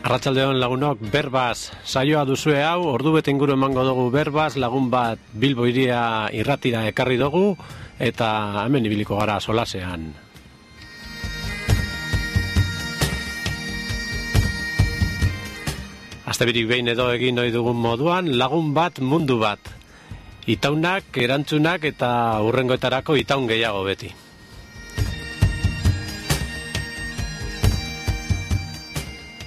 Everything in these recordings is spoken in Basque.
Arratsaldeon lagunok, berbaz saioa duzue hau, ordubete inguru emango dugu berbaz, lagun bat Bilbo hiria irratira ekarri dugu, eta hemen ibiliko gara solasean. Astebirik behin edo egin ohi dugun moduan, lagun bat mundu bat. Itaunak, erantzunak eta hurrengoetarako itaun gehiago beti.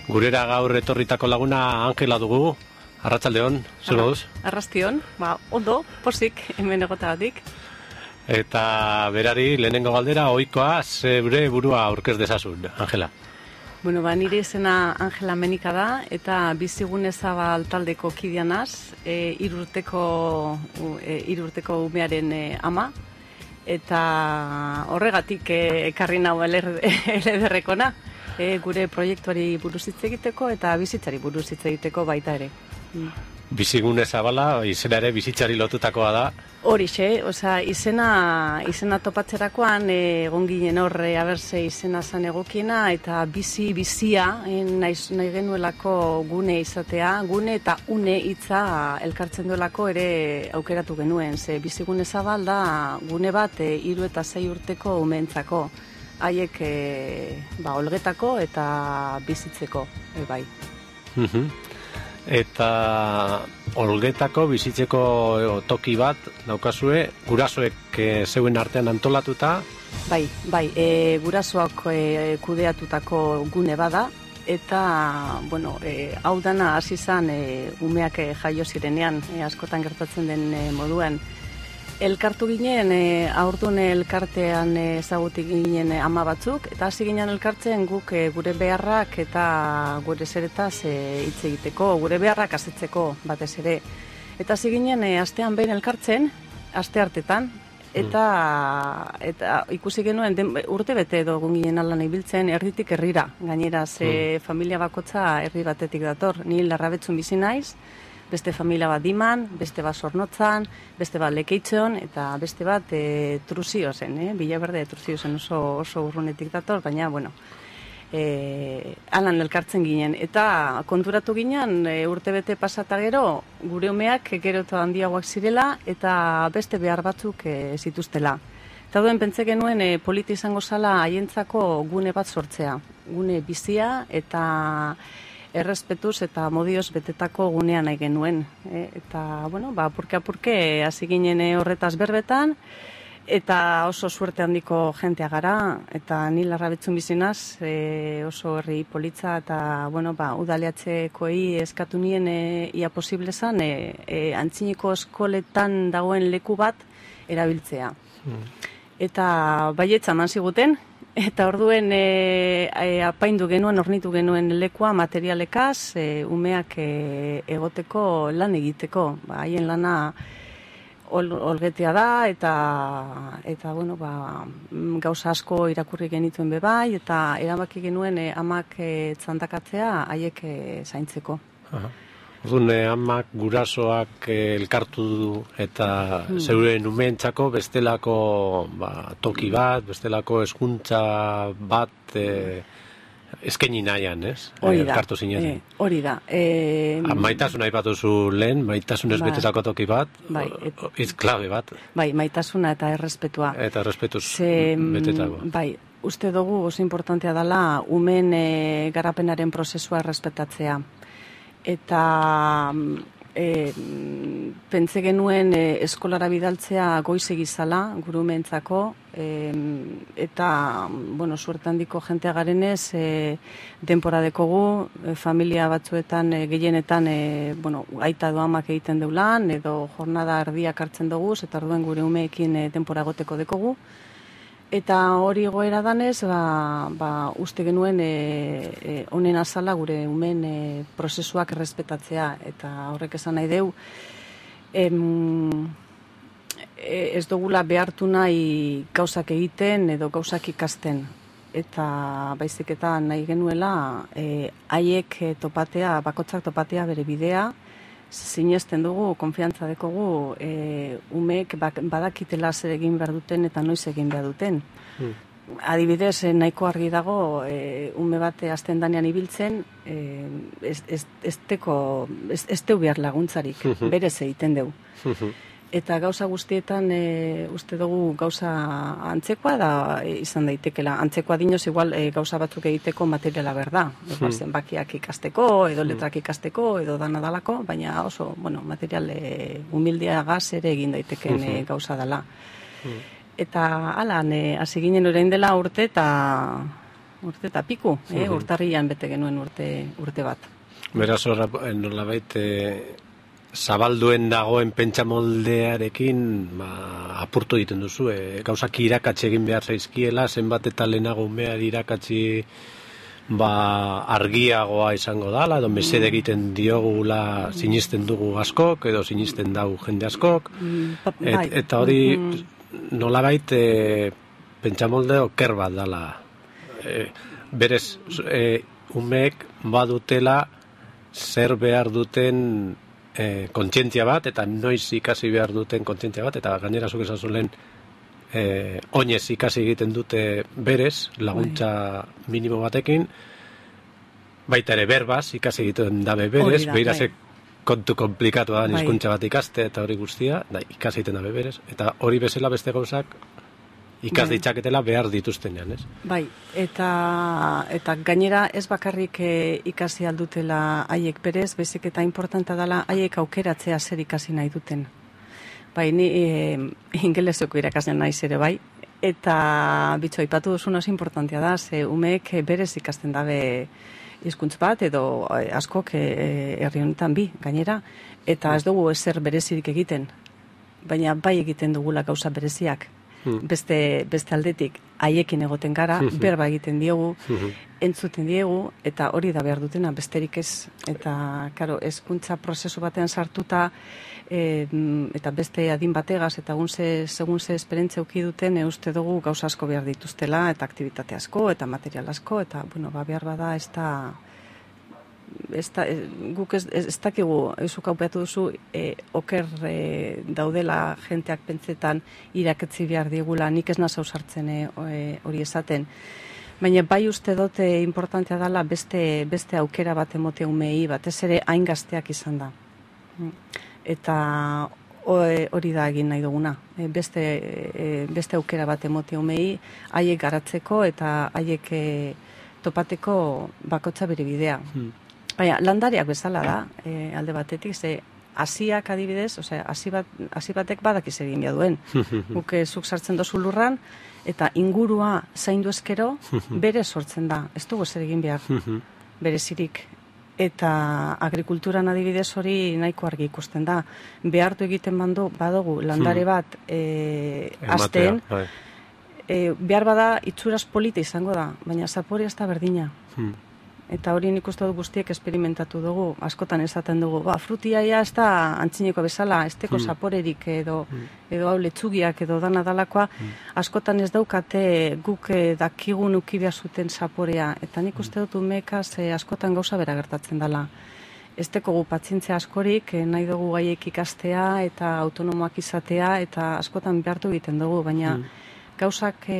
Gurera gaur etorritako laguna Angela dugu. Arratsaldeon, zer moduz? Arrastion, ondo, posik, hemen egotagatik. Eta berari lehenengo galdera ohikoa zeure burua aurkez dezazun, Angela. Bueno, nire izena Angela Menika da, eta Bizigune Zabal taldeko kidea naz, hirurteko umearen ama, eta horregatik ekarri nau elederrekona. Gure proiektuari buruz hitz egiteko eta bizitzari buruz hitz egiteko baita ere. Bizigune Zabala izena ere bizitzari lotutakoa da. Horixe, izena topatzerakoan egon ginen hor aberse izena zan egokiena eta bizia nahi genuelako gune izatea, gune eta une hitza elkartzen duelako ere aukeratu genuen. Ze Bizigune Zabal da gune bat 3 eta 6 urteko umeentzako. Haiek olgetako eta bizitzeko, bai. Eta olgetako bizitzeko toki bat daukazue, gurasoek zeuen artean antolatuta? Bai, gurasoak kudeatutako gune bada, eta, hau dana hasi zan umeak jaio zirenean, askotan gertatzen den moduan. Elkartu ginen, aurtun elkartean ezagutik ginen ama batzuk, eta hasi ginen elkartzen guk gure beharrak eta gure zeretaz hitz egiteko, gure beharrak asetzeko batez ere. Eta hasi ginen astean behin elkartzen, aste hartetan, eta ikusi genuen urte bete edo ginen alan ibiltzen erditik herrira. Gainera, familia bakotza herri batetik dator, ni Larrabetzun bizi naiz, beste familia bat Diman, beste bat Zornotzan, beste bat Lekeitzon, eta beste bat Truzio zen, Villaverde Truzio zen oso urrunetik dator, baina, alan elkartzen ginen. Eta konturatu ginen, urtebete pasata gero, gure umeak gero eta handiagoak zirela, eta beste behar batzuk zituztela. Eta duen pentsa genuen politi izango zala haientzako gune bat sortzea. Gune bizia eta errespetuz eta modioz betetako gunean nahi genuen. Eta, apurke hasi ginen horretaz berbetan, eta oso suerte handiko jentea gara, eta ni Larrabetzun bizinaz, oso herri politza, eta, udaleatzekoei eskatu nien ia posible zan, antziniko eskoletan dagoen leku bat erabiltzea. Eta baietza eman ziguten, eta orduen apaindu genuen, ornitu genuen lekua materialekaz, umeak egoteko lan egiteko. Haien lana olgetea da, eta gauza asko irakurri genituen bebai, eta erabaki genuen amak txandakatzea haiek zaintzeko. Orduan, amak gurasoak elkartu du eta zeuren umeentzako bestelako toki bat, bestelako hezkuntza bat eskaini nahian, ez? Elkartu zineten. Hori da. Maitasuna aipatuzu lehen, maitasunez betetako toki bat, hitz klabe bat. Bai, maitasuna eta errespetua. Eta errespetuz betetako. Bai, uste dugu oso importantea dela umeen garapenaren prozesua errespetatzea. Eta pentsa genuen eskolara bidaltzea goizegi zala, gure umeentzako, eta, suerte handiko jentea garenez, denpora dekogu, familia batzuetan, gehienetan, aita doamak egiten deulan, edo jornada erdiak hartzen dugu, eta orduen gure umeekin denpora goteko dekogu. Eta hori goera danez, uste genuen honen azala gure umen prozesuak errespetatzea. Eta horrek esan nahi deu, ez dugula behartu nahi gauzak egiten edo gauzak ikasten. Eta baizik eta nahi genuela, haiek topatea, bakotzak topatea bere bidea, sinesten dugu, konfiantza dekogu, umeek badakitela zer egin behar duten eta noiz egin behar duten. Adibidez, nahiko argi dago, ume bat hasten danean ibiltzen, ez teu behar laguntzarik, berez egiten deu. Eta gauza guztietan uste dugu gauza antzekoa da izan daitekela. Antzekoa dinoz igual gauza batzuk egiteko materiala berda. Zenbakiak ikasteko, edo letrak ikasteko, edo dana dalako, baina oso, material humildeagaz ere egin daiteken gauza dela. Eta alan, hasi ginen orain dela urte eta piku, urtarrian bete genuen urte bat. Beraz, nolabait, zabalduen dagoen pentsamoldearekin apurtu egiten duzu, gauzak irakatsi egin behar zaizkiela, zenbat eta lehenago umeari irakatsi argiagoa izango dala, edo mesede egiten diogula sinisten dugu askok, edo sinisten dau jende askok, eta hori nolabait pentsamolde oker bat dala. Berez, umeek badutela zer behar duten kontzientzia bat, eta noiz ikasi behar duten kontzientzia bat, eta gainera zuk esan zuen oinez ikasi egiten dute berez, laguntza minimo batekin, baita ere berbaz ikasi egiten dabe berez, behirazek kontu komplikatu da hizkuntza bat ikaste, eta hori guztia, ikasi egiten dabe berez, eta hori bezala beste gauzak ikas ditzaketela behar dituztenean, ez? Bai, eta gainera ez bakarrik ikasi aldutela haiek berez, bezik eta importanta dela haiek aukeratzea zer ikasi nahi duten. Bai, ni ingeleseko irakaslean naiz ere bai, eta bitxo aipatu duzun oso importantea da, ze umeek berez ikasten dabe hizkuntz bat, edo askok herri honetan bi, gainera, eta ez dugu ezer berezirik egiten, baina bai egiten dugula gauza bereziak. Beste aldetik haiekin egoten gara, berba egiten diogu, entzuten diegu, eta hori da behar dutena, besterik ez. Eta, karo, hezkuntza prozesu batean sartuta, eta beste adin bategaz, eta segun ze esperientzia uki duten, uste dugu gauza asko behar dituztela, eta aktivitate asko, eta material asko, eta, behar bada guk ez dakigu, zuk aupeatu duzu, oker daudela jenteak pentsetan irakatzi behar digula, nik ez nazau sartzen hori esaten. Baina bai uste dute importantea dela beste aukera bat emote umei, batez ere hain gazteak izan da. Eta hori da egin nahi duguna. Beste aukera bat emote umei, haiek garatzeko eta haiek topateko bakotza bere bidea. Baina, landariak bezala da, alde batetik, ze hasiak adibidez, hasi batek badakiz egin behar duen. Guk zuk sartzen dozu lurran, eta ingurua zaindu ezkero, bere sortzen da. Ez dugu zer egin behar, berezirik. Eta agrikulturan adibidez hori nahiko argi ikusten da. Behartu egiten badugu landare bat azten, behar bada itxuraz polita izango da, baina zaporia ez da berdina. Eta hori nik uste dut guztiek esperimentatu dugu, askotan esaten dugu, frutia ez da antzineko bezala, ez teko zaporerik edo hau letzugiak edo dana dalakoa, askotan ez daukate guk dakigun uki behar zuten zaporea, eta nik uste dut umekaz askotan gauza bera gertatzen dela. Ez teko gu patzientzia askorik, nahi dugu gaiek ikastea eta autonomoak izatea, eta askotan behartu egiten dugu, baina gauzak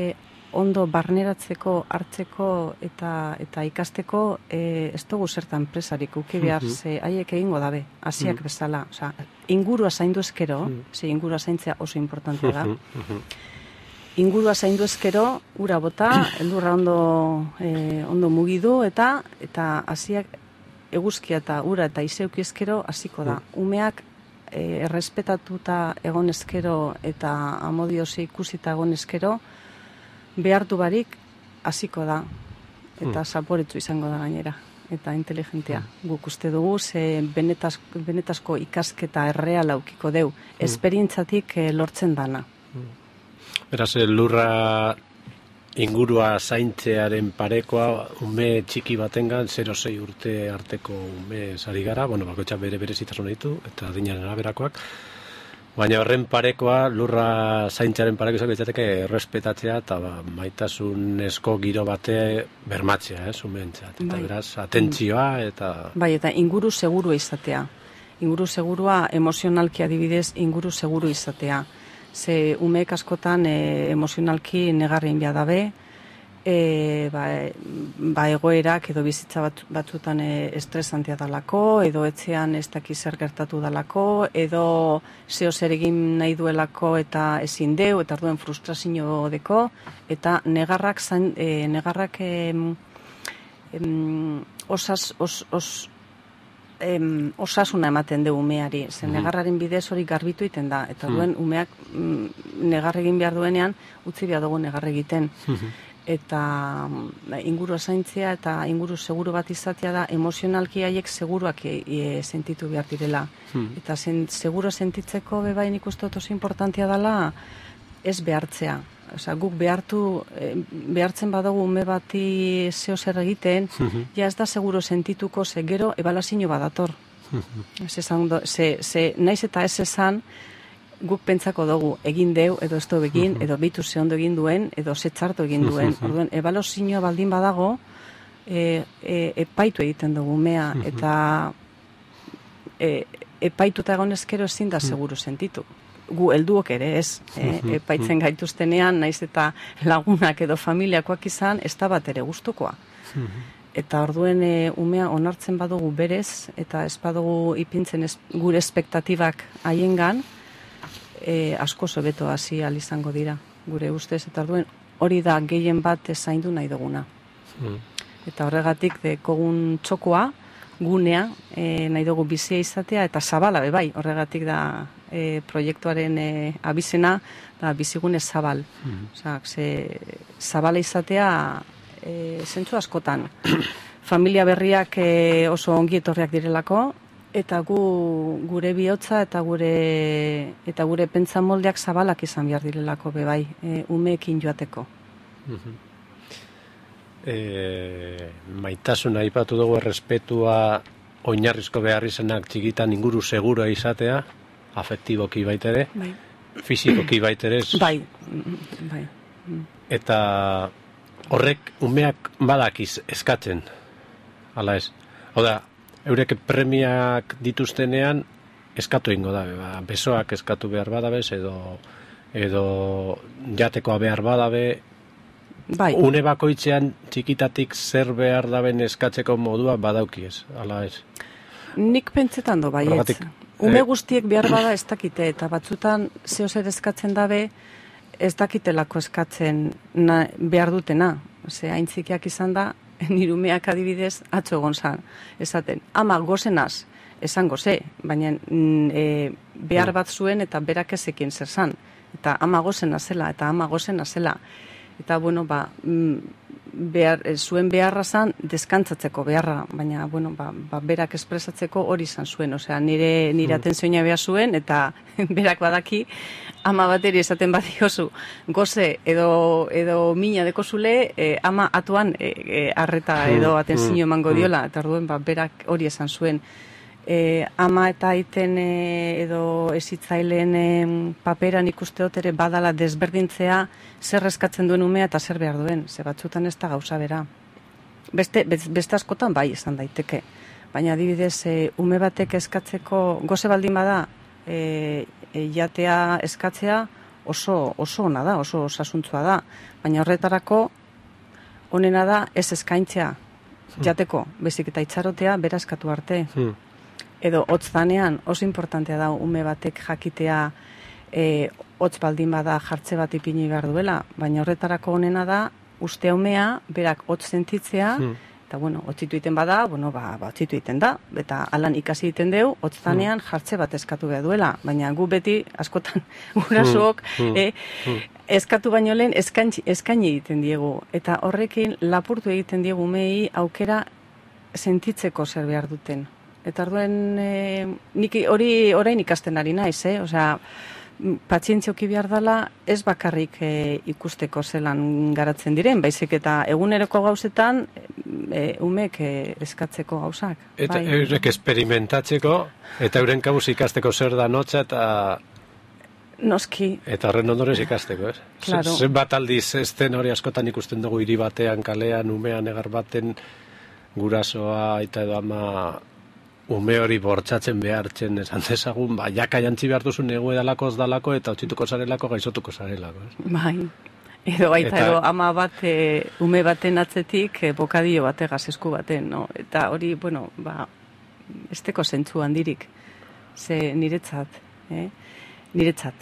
ondo barneratzeko, hartzeko eta ikasteko ez dugu zertan presarik uki behar, haiek egingo dabe, hasiak bezala. Ingurua zaindu ezkero, ingurua zaintzea oso importantea da. Ingurua zaindu ezkero, ura bota, eldurra ondo mugidu, eta hasiak eguzkia eta ura eta izeuki ezkero hasiko da. Umeak errespetatuta egon ezkero eta amodiosi ikusita egon ezkero, behartu barik hasiko da, eta zaporetsu izango da gainera, eta inteligentea. Guk uste dugu, ze benetazko ikasketa erreala aukiko deu, esperientzatik lortzen dana. Beraz, lurra ingurua zaintzearen parekoa, ume txiki batengan, 0-6 urte arteko ume sari gara, bakoitzak bere zitasun ditu, eta adinaren araberakoak, baina horren parekoa, lurra zaintzaren pareko izango izateke errespetatzea eta maitasun esko giro bate bermatzea, umeentzat. Eta beraz, atentzioa eta... Bai, eta inguru seguru izatea. Inguru segurua, emozionalki adibidez, inguru seguru izatea. Ze umeek askotan emozionalki negarrein behar dabe, egoerak edo bizitza batzutan estresantia dalako, edo etxean ez daki zer gertatu dalako, edo zeo zer egin nahi duelako eta ezin deu, eta arduen frustrazio deko, eta negarrak osasuna ematen du umeari, zen negarraren bidez hori garbitu iten da, eta duen umeak negar egin behar duenean, utzi behar dugu negar egiten. Eta inguru zaintzea eta inguru seguru bat izatea da emozionalki haiek seguruak sentitu behar direla. Eta seguro sentitzeko bebain ikustot oso importantia dela ez behartzea. Osa, guk behartzen badugu ume bati zeo zer egiten, ja ez da seguro sentituko ze gero ebalazio badator. Naiz eta ez esan, guk pentsako dugu egin deu, edo ez du egin, edo bitu ze ondo egin duen, edo ze txarto egin duen. Orduan, ebalozioa baldin badago, epaitu egiten dugu umea, eta epaituta egon ezkero ezin da seguru sentitu. Gu helduok ere ez, epaitzen gaituztenean, naiz eta lagunak edo familiakoak izan, ez da bat ere gustukoa. Eta orduen umea onartzen badugu berez, eta ez badugu ipintzen gure espektatibak haiengan, asko sobeto hasi izango dira, gure ustez, eta orduen hori da gehien bat zaindu nahi duguna. Eta horregatik dekogun txokoa, gunea, nahi dugu bizia izatea, eta zabala bebai, horregatik da proiektuaren abizena, da bizigune zabal. Zabala izatea zentzu askotan. Familia berriak oso ongi etorriak direlako, eta gure bihotza eta gure pentsamoldeak zabalak izan behar direlako bebai, umeekin joateko. Maitasuna aipatu dugu, errespetua oinarrizko behar izanak txikitan inguru segura izatea, afektiboki baitere, fizikoki baitere. Bai. Eta horrek umeak badakiz eskatzen, ala ez. Oda, eurek premiak dituztenean eskatu ingo da, besoak eskatu behar badabez, edo jatekoa behar badabe, une bakoitzean txikitatik zer behar daben eskatzeko modua badaukiez, ala ez. Nik pentsetan do baietz. Ume guztiek behar bada ez dakite, eta batzutan zeo zer eskatzen dabe, ez dakitelako eskatzen behar dutena. Haintzikiak izan da, nire umeak adibidez atzo egon zan, esaten, ama gozenaz, esan goze, baina behar bat zuen eta berak ezekin zer zan. Eta ama gozena zela, eta ama gozena zela. Eta, bueno, zuen beharra zan, deskantzatzeko beharra, baina, bueno, berak espresatzeko hori izan zuen. Osea, nire atentzioa behar zuen, eta berak badaki, ama bateri esaten badiozu, goze edo mina dekozule, ama atuan arreta edo atentzio emango diola, eta orduen, berak hori esan zuen. Ama eta aiten edo ezitzaileen paperan ikusteot ere badala desberdintzea zer eskatzen duen umea eta zer behar duen, ze batzutan ez da gauza bera. Beste askotan bai esan daiteke, baina adibidez ume batek eskatzeko goze baldin bada jatea eskatzea oso ona da, oso osasuntzua da, baina horretarako onena da ez eskaintzea jateko, bezik eta itxarotea bera eskatu arte. Edo hotz danean oso importantea da ume batek jakitea hotz baldin bada jartze bat ipini behar duela, baina horretarako onena da uste umea berak hotz sentitzea, eta bueno, hotzitu iten bada, bueno, hotzitu iten da, eta alan ikasi iten deu, hotz danean jartze bat eskatu behar duela, baina gu beti askotan gurasook eskatu baino lehen eskaini egiten diegu, eta horrekin lapurtu egiten diegu umei aukera sentitzeko zer behar duten. Eta orduen, nik hori orain ikasten ari naiz, osea, patzientzioki behar dela ez bakarrik ikusteko zelan garatzen diren, baizik eta eguneroko gauzetan umek eskatzeko gauzak. Eta eurek esperimentatzeko, eta euren kabuz ikasteko zer da notza, eta... Noski. Eta horren ondorez ikasteko, ez? Claro. Zenbat aldiz ezten hori askotan ikusten dugu hiri batean, kalean, umean, egar baten, gurasoa, eta edo ama... ume hori bortxatzen behartzen esan dezagun, jaka jantzi behar duzun egu edalako, eta otzituko zarelako, gaizotuko zarelako. Bai, Edo baita, edo ama bat, ume baten atzetik, bokadio bategaz esku baten, no? Eta hori, bueno, esteko zentzu handirik, ze niretzat, niretzat,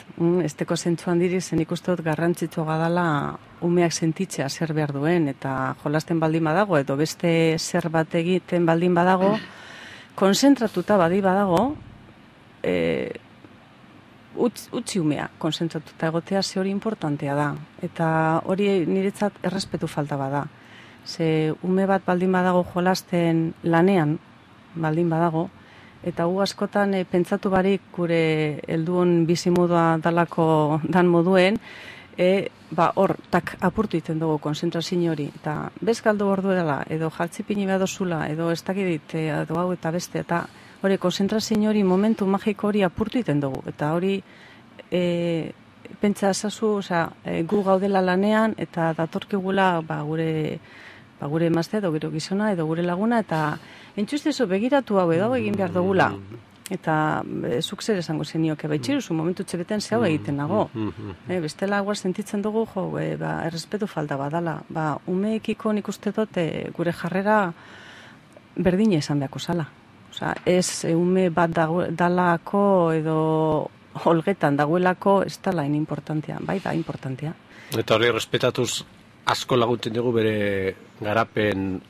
esteko zentzu handirik, zen ikustot garrantzitsua gadala umeak sentitzea zer behar duen, eta jolasten baldin badago, edo beste zer bat egiten baldin badago, konzentratuta badago, utzi umea konzentratuta egotea ze hori importantea da. Eta hori niretzat errespetu falta bada. Ze ume bat baldin badago jolasten lanean, baldin badago, eta gu askotan pentsatu barik gure helduon bizimodua dalako dan moduen, hor, apurtu iten dugu konzentrazio hori. Eta bezgaldu ordu edala, edo jaltzipini behar dozula, edo ez dakidit, edo hau eta beste, eta hori, konzentrazio hori, momentu magiko hori apurtu iten dugu. Eta hori, pentsa ezazu, gu gaudela lanean, eta datorkigula gure emazte, edo gero gizona, edo gure laguna, eta entzustezu begiratu hau edo egin behar dugula. Eta zuk zer esango zenioke, baitxiruzu momentu txebeten ze hau egiten nago. Bestela guaz sentitzen dugu, errespetu falta badala. Umeekiko nik uste dut gure jarrera berdina esan beharko zala. Ez ume bat dalako edo holgetan dagoelako ez dala importantea, bai da importantea. Eta hori respetatuz asko laguntzen dugu bere garapen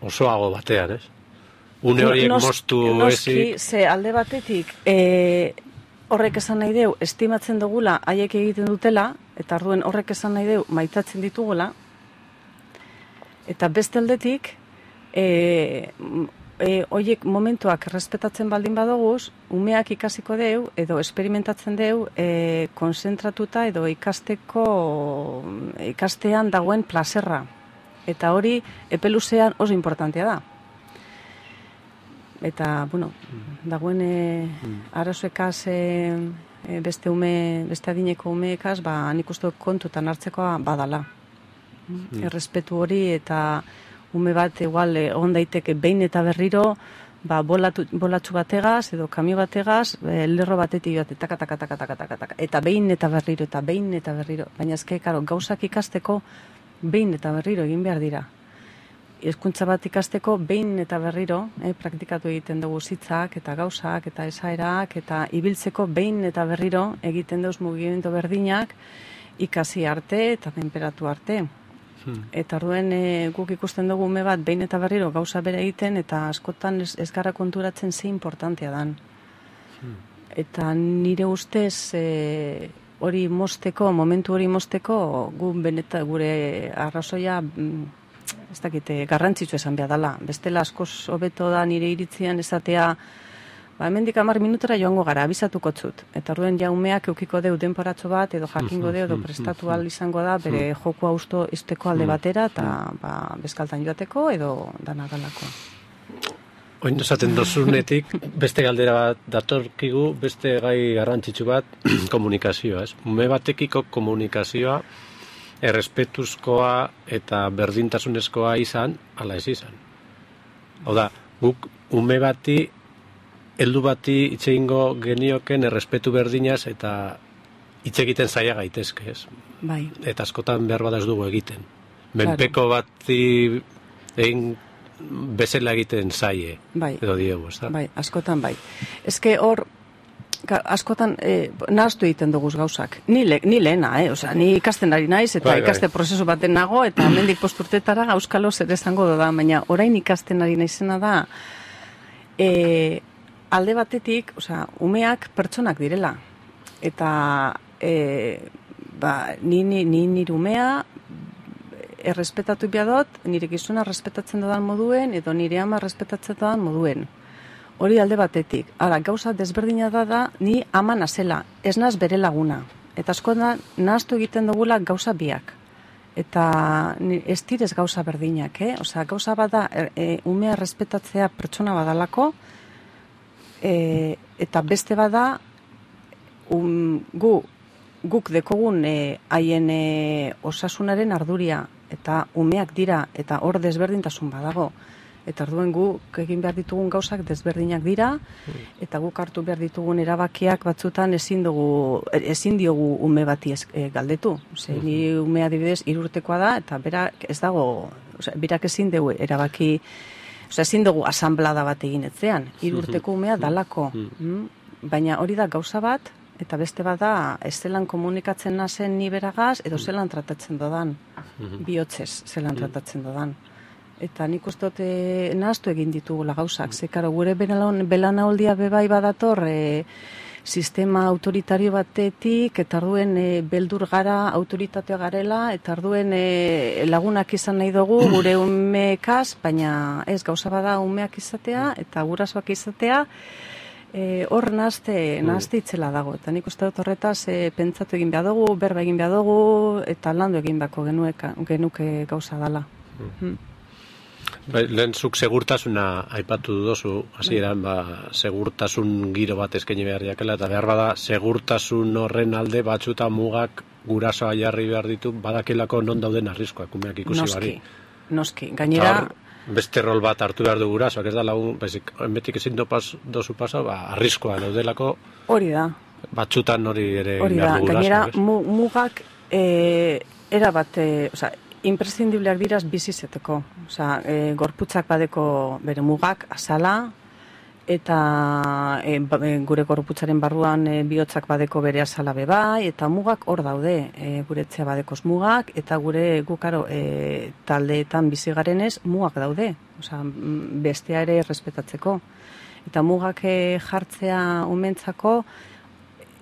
osoago batean, ez? Une horiek moztu ezik. Noski, ze alde batetik horrek esan nahi deu, estimatzen dugula haiek egiten dutela, eta arduen horrek esan nahi deu maitatzen ditugula, eta beste aldetik horiek momentuak errespetatzen baldin badoguz, umeak ikasiko deu, edo esperimentatzen deu, konzentratuta edo ikastean dagoen plazerra. Eta hori, epeluzean oso importantea da. Eta, bueno, dagoen arazoekaz beste adineko umeekaz, nik uste kontutan hartzekoa badala. Errespetu hori eta ume bat igual egon daiteke behin eta berriro bolatxu bategaz edo kamio bategaz lerro batetik bat eta behin eta berriro. Baina ezke, gauzak ikasteko behin eta berriro egin behar dira. Hezkuntza bat ikasteko behin eta berriro praktikatu egiten dugu zitzak eta gauzak eta esaerak eta ibiltzeko behin eta berriro egiten dugu mugimendu berdinak ikasi arte eta temperatu arte. Eta orduen guk ikusten dugu ume bat behin eta berriro gauza bere egiten eta askotan ez gara konturatzen ze importantea dan. Eta nire ustez hori mozteko, momentu hori mozteko gure arrazoia ez dakite garrantzitsu esan behar dela. Bestela askoz hobeto da nire iritzian esatea hemendik 10 minutera joango gara, abisatuko zut. Eta orduen ja umeak eukiko deu denporatxo bat, edo jakingo deu, edo prestatu ahal izango da, bere jokua usto izteko alde batera, eta bezkaltan joateko, edo dana dalako. Oin esaten dozunetik, beste galdera bat datorkigu, beste gai garrantzitsu bat, komunikazioa, ez? Ume batekiko komunikazioa, errespetuzkoa eta berdintasunezkoa izan, ala ez izan. Hau da, guk ume bati, heldu bati itxeingo genioken errespetu berdinaz eta hitz egiten zaila gaitezke, ez? Bai. Eta askotan behar bada ez dugu egiten. Menpeko bati egin bezala egiten zaie, edo diegu, ez da? Bai, askotan bai. Ezke hor, askotan nahaztu egiten duguz gauzak. Ni lehena, ni ikasten ari naiz, eta ikaste prozesu baten nago, eta hemendik posturtetara auskalo zer esango da, baina orain ikasten ari naizena da, alde batetik, umeak pertsonak direla. Eta nire umea errespetatu biadot, nire gizuna errespetatzen dodan moduen, edo nire ama errespetatzen dodan moduen. Hori alde batetik. Hala, gauza desberdina da, ni ama nazela, ez naz bere laguna. Eta asko da, nahaztu egiten dugula gauza biak. Eta ez direz gauza berdinak, gauza bada, umea errespetatzea pertsona badalako, eta beste bada guk dekogun haien osasunaren arduria eta umeak dira eta hor desberdintasun badago Eta orduen guk egin behar ditugun gauzak desberdinak dira, eta guk hartu behar ditugun erabakiak batzutan ezin diogu ume bati galdetu. Ni umea adibidez 3 urtekoa da, eta berak ez dago, berak ezin dugu erabaki, ezin dugu asanblada bat egin etzean, 3 urteko umea dalako. Baina hori da gauza bat, eta beste bat da, ez zelan komunikatzen nazen ni beragaz, edo zelan tratatzen dodan, bihotzez zelan tratatzen dodan. Eta nik uste dut nahaztu egin ditugula gauzak. Zekaro, gure belanaldia bebai badator sistema autoritario batetik, eta arduen beldur gara, autoritatea garela, eta arduen lagunak izan nahi dugu gure umeekaz, baina ez gauza bada umeak izatea, eta gurasoak izatea, hor nahazte itzela dago. Eta nik uste dut horretaz pentsatu egin behar dugu, berba egin behar dugu, eta landu egin beharko genuke gauza dala. Lehen zuk segurtasuna aipatu duzu, hasieran segurtasun giro bat eskaini behar jakela, eta behar bada segurtasun horren alde batzuta mugak gurasoa jarri behar ditu, badakilako non dauden arriskoak, umeak ikusi bari. Noski, gainera... Beste rol bat hartu behar du gurasoak, ez da lagun, betik ezin dozu pasa, arriskoa daudelako... Hori da. Batzutan hori ere behar du gurasoak. Gainera, mugak erabat... imprescindibleak diraz bizizeteko. Gorputzak badeko bere mugak, azala, eta gure gorputzaren barruan bihotzak badeko bere azala bebai, eta mugak hor daude, guretzea badekoz mugak, eta gukaro taldeetan bizigarenez mugak daude, bestea ere respetatzeko. Eta mugak jartzea umentzako,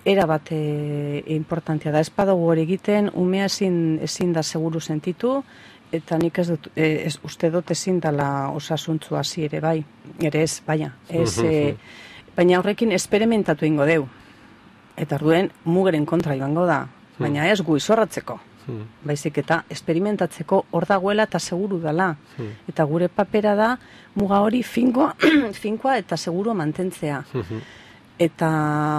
era bat importantea da. Ez badago hori egiten, umea ezin da seguru sentitu, eta nik uste dut ezin dela osasuntzu hasi ere bai. Ere ez, baina. Baina horrekin esperimentatu ingo deu. Eta orduen mugeren kontra joango da. Baina ez gu izorratzeko. Baizik eta esperimentatzeko hor dagoela eta seguru dela. Eta gure papera da muga hori finkoa eta seguru mantentzea. Eta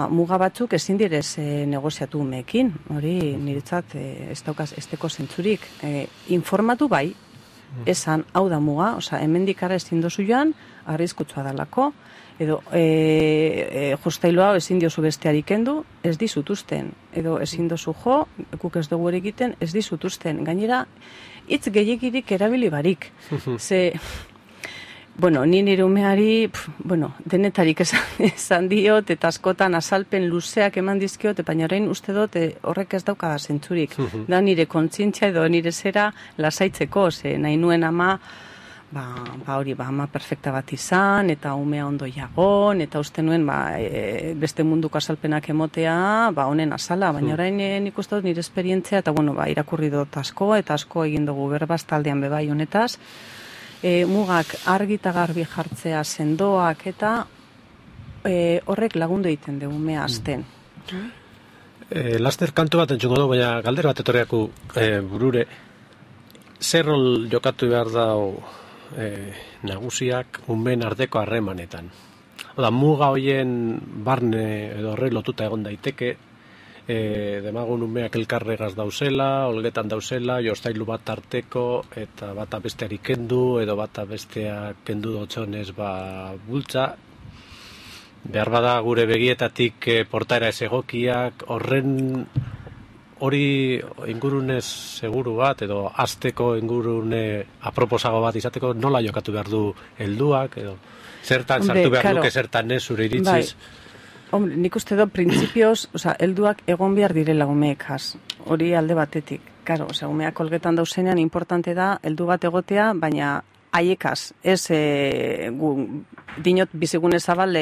muga batzuk ezin direz negoziatu umeekin, hori niretzat ez teko zentzurik. Informatu bai, esan hau da muga, hemendik ara ezin dozu joan, arriskutsua dalako, edo jostailoa ezin diozu besteari kendu, ez dizutuzten, edo ezin dozu jo, guk ez dugu egiten, ez dizutuzten. Gainera, hitz gehiegirik erabili barik. Ni nire umeari, denetarik esan diot, eta askotan azalpen luzeak eman dizkiot, baina orain uste dut horrek ez daukada zentzurik. Da nire kontzientzia edo nire zera lasaitzeko, nahi nuen ama, ama perfekta bat izan, eta umea ondo jagon, eta uste nuen beste munduko azalpenak emotea, honen azala, baina orain nik uste dut nire esperientzia, eta irakurri dut asko, eta asko egin dugu berbaz taldean bebai honetaz, mugak argi eta garbi jartzea sendoak eta horrek lagundu egiten dugu umea azten. Laster kantu bat entzungo du, baina galdera bat etorriaku burure. Zer rol jokatu behar da nagusiak umeen arteko harremanetan? Muga hoien barne edo horre lotuta egon daiteke, demagun umeak elkarregaz dauzela, olgetan dauzela, jostailu bat tarteko, eta bata besteari kendu, edo bata bestea kendu dotxonez bultza. Behar bada gure begietatik portaera ez egokiak, hori ingurunez seguru bat, edo azteko ingurune aproposago bat izateko, nola jokatu behar du helduak, edo zertan sartu behar duke, zertan ez zure iritziz. Hombre, nik uste dut, printzipioz, helduak egon behar direla umeekaz, hori alde batetik. Karo, umeak olgetan dauzenean importante da, heldu bat egotea, baina haiekaz, ez dinot bizigune zabal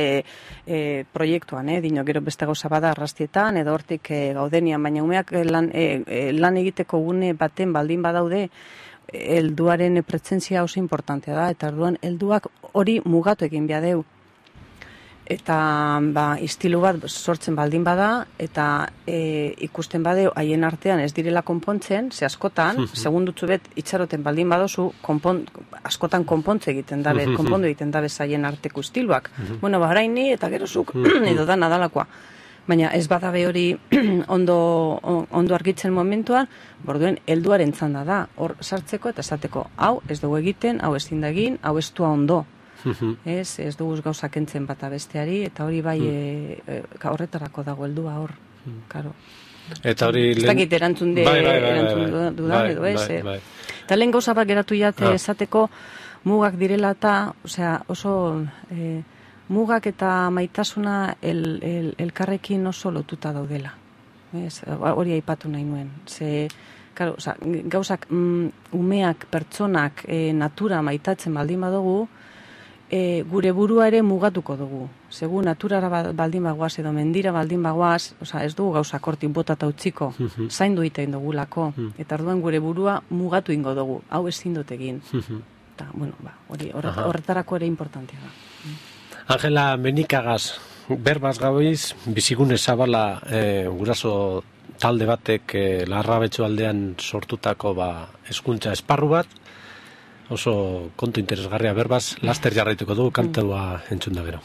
proiektuan, dinot gero beste gauza bada arrastietan, edo hortik gaudenian, baina umeak lan egiteko gune baten baldin badaude, helduaren presentzia oso importantea da, eta orduan helduak hori mugatu egin behar deu. Eta istilu bat sortzen baldin bada, eta ikusten badeu haien artean ez direla konpontzen, ze askotan, segundutzu bet itxaroten baldin badozu, askotan konpondu egiten dabe haien arteko istiluak. Baraini eta gerozuk edo da nadalakoa. Baina ez badabe hori ondo argitzen momentuan, borduen helduaren txanda da, hor sartzeko eta esateko, hau ez dugu egiten, hau ez zindagin, hau ez dua ondo. Ez dugu gauzak entzen bata besteari, eta hori bai horretarako dago heldua hor, karo. Eta hori... Ez dakit erantzun dudan edo ez. Eta lehen gauza bat geratu jate esateko mugak direla eta, oso mugak eta maitasuna elkarrekin oso lotuta daudela. Hori aipatu nahi nuen. Gauzak umeak, pertsonak, natura maitatzen baldin badugu, gure burua ere mugatuko dugu. Segu naturara baldin bagoaz edo mendira baldin bagoaz, ez dugu gauzak hortik botata utziko, zaindu egiten dugulako, eta orduan gure burua mugatu ingo dugu, hau ezin dut egin. Eta, horretarako ere importantea da. Angela Menikagaz, berbaz gabiz, bizigune zabala guraso talde batek Larrabetxu aldean sortutako hezkuntza esparru bat, oso kontu interesgarria berbaz, laster jarraituko dugu kantua entzun da gero.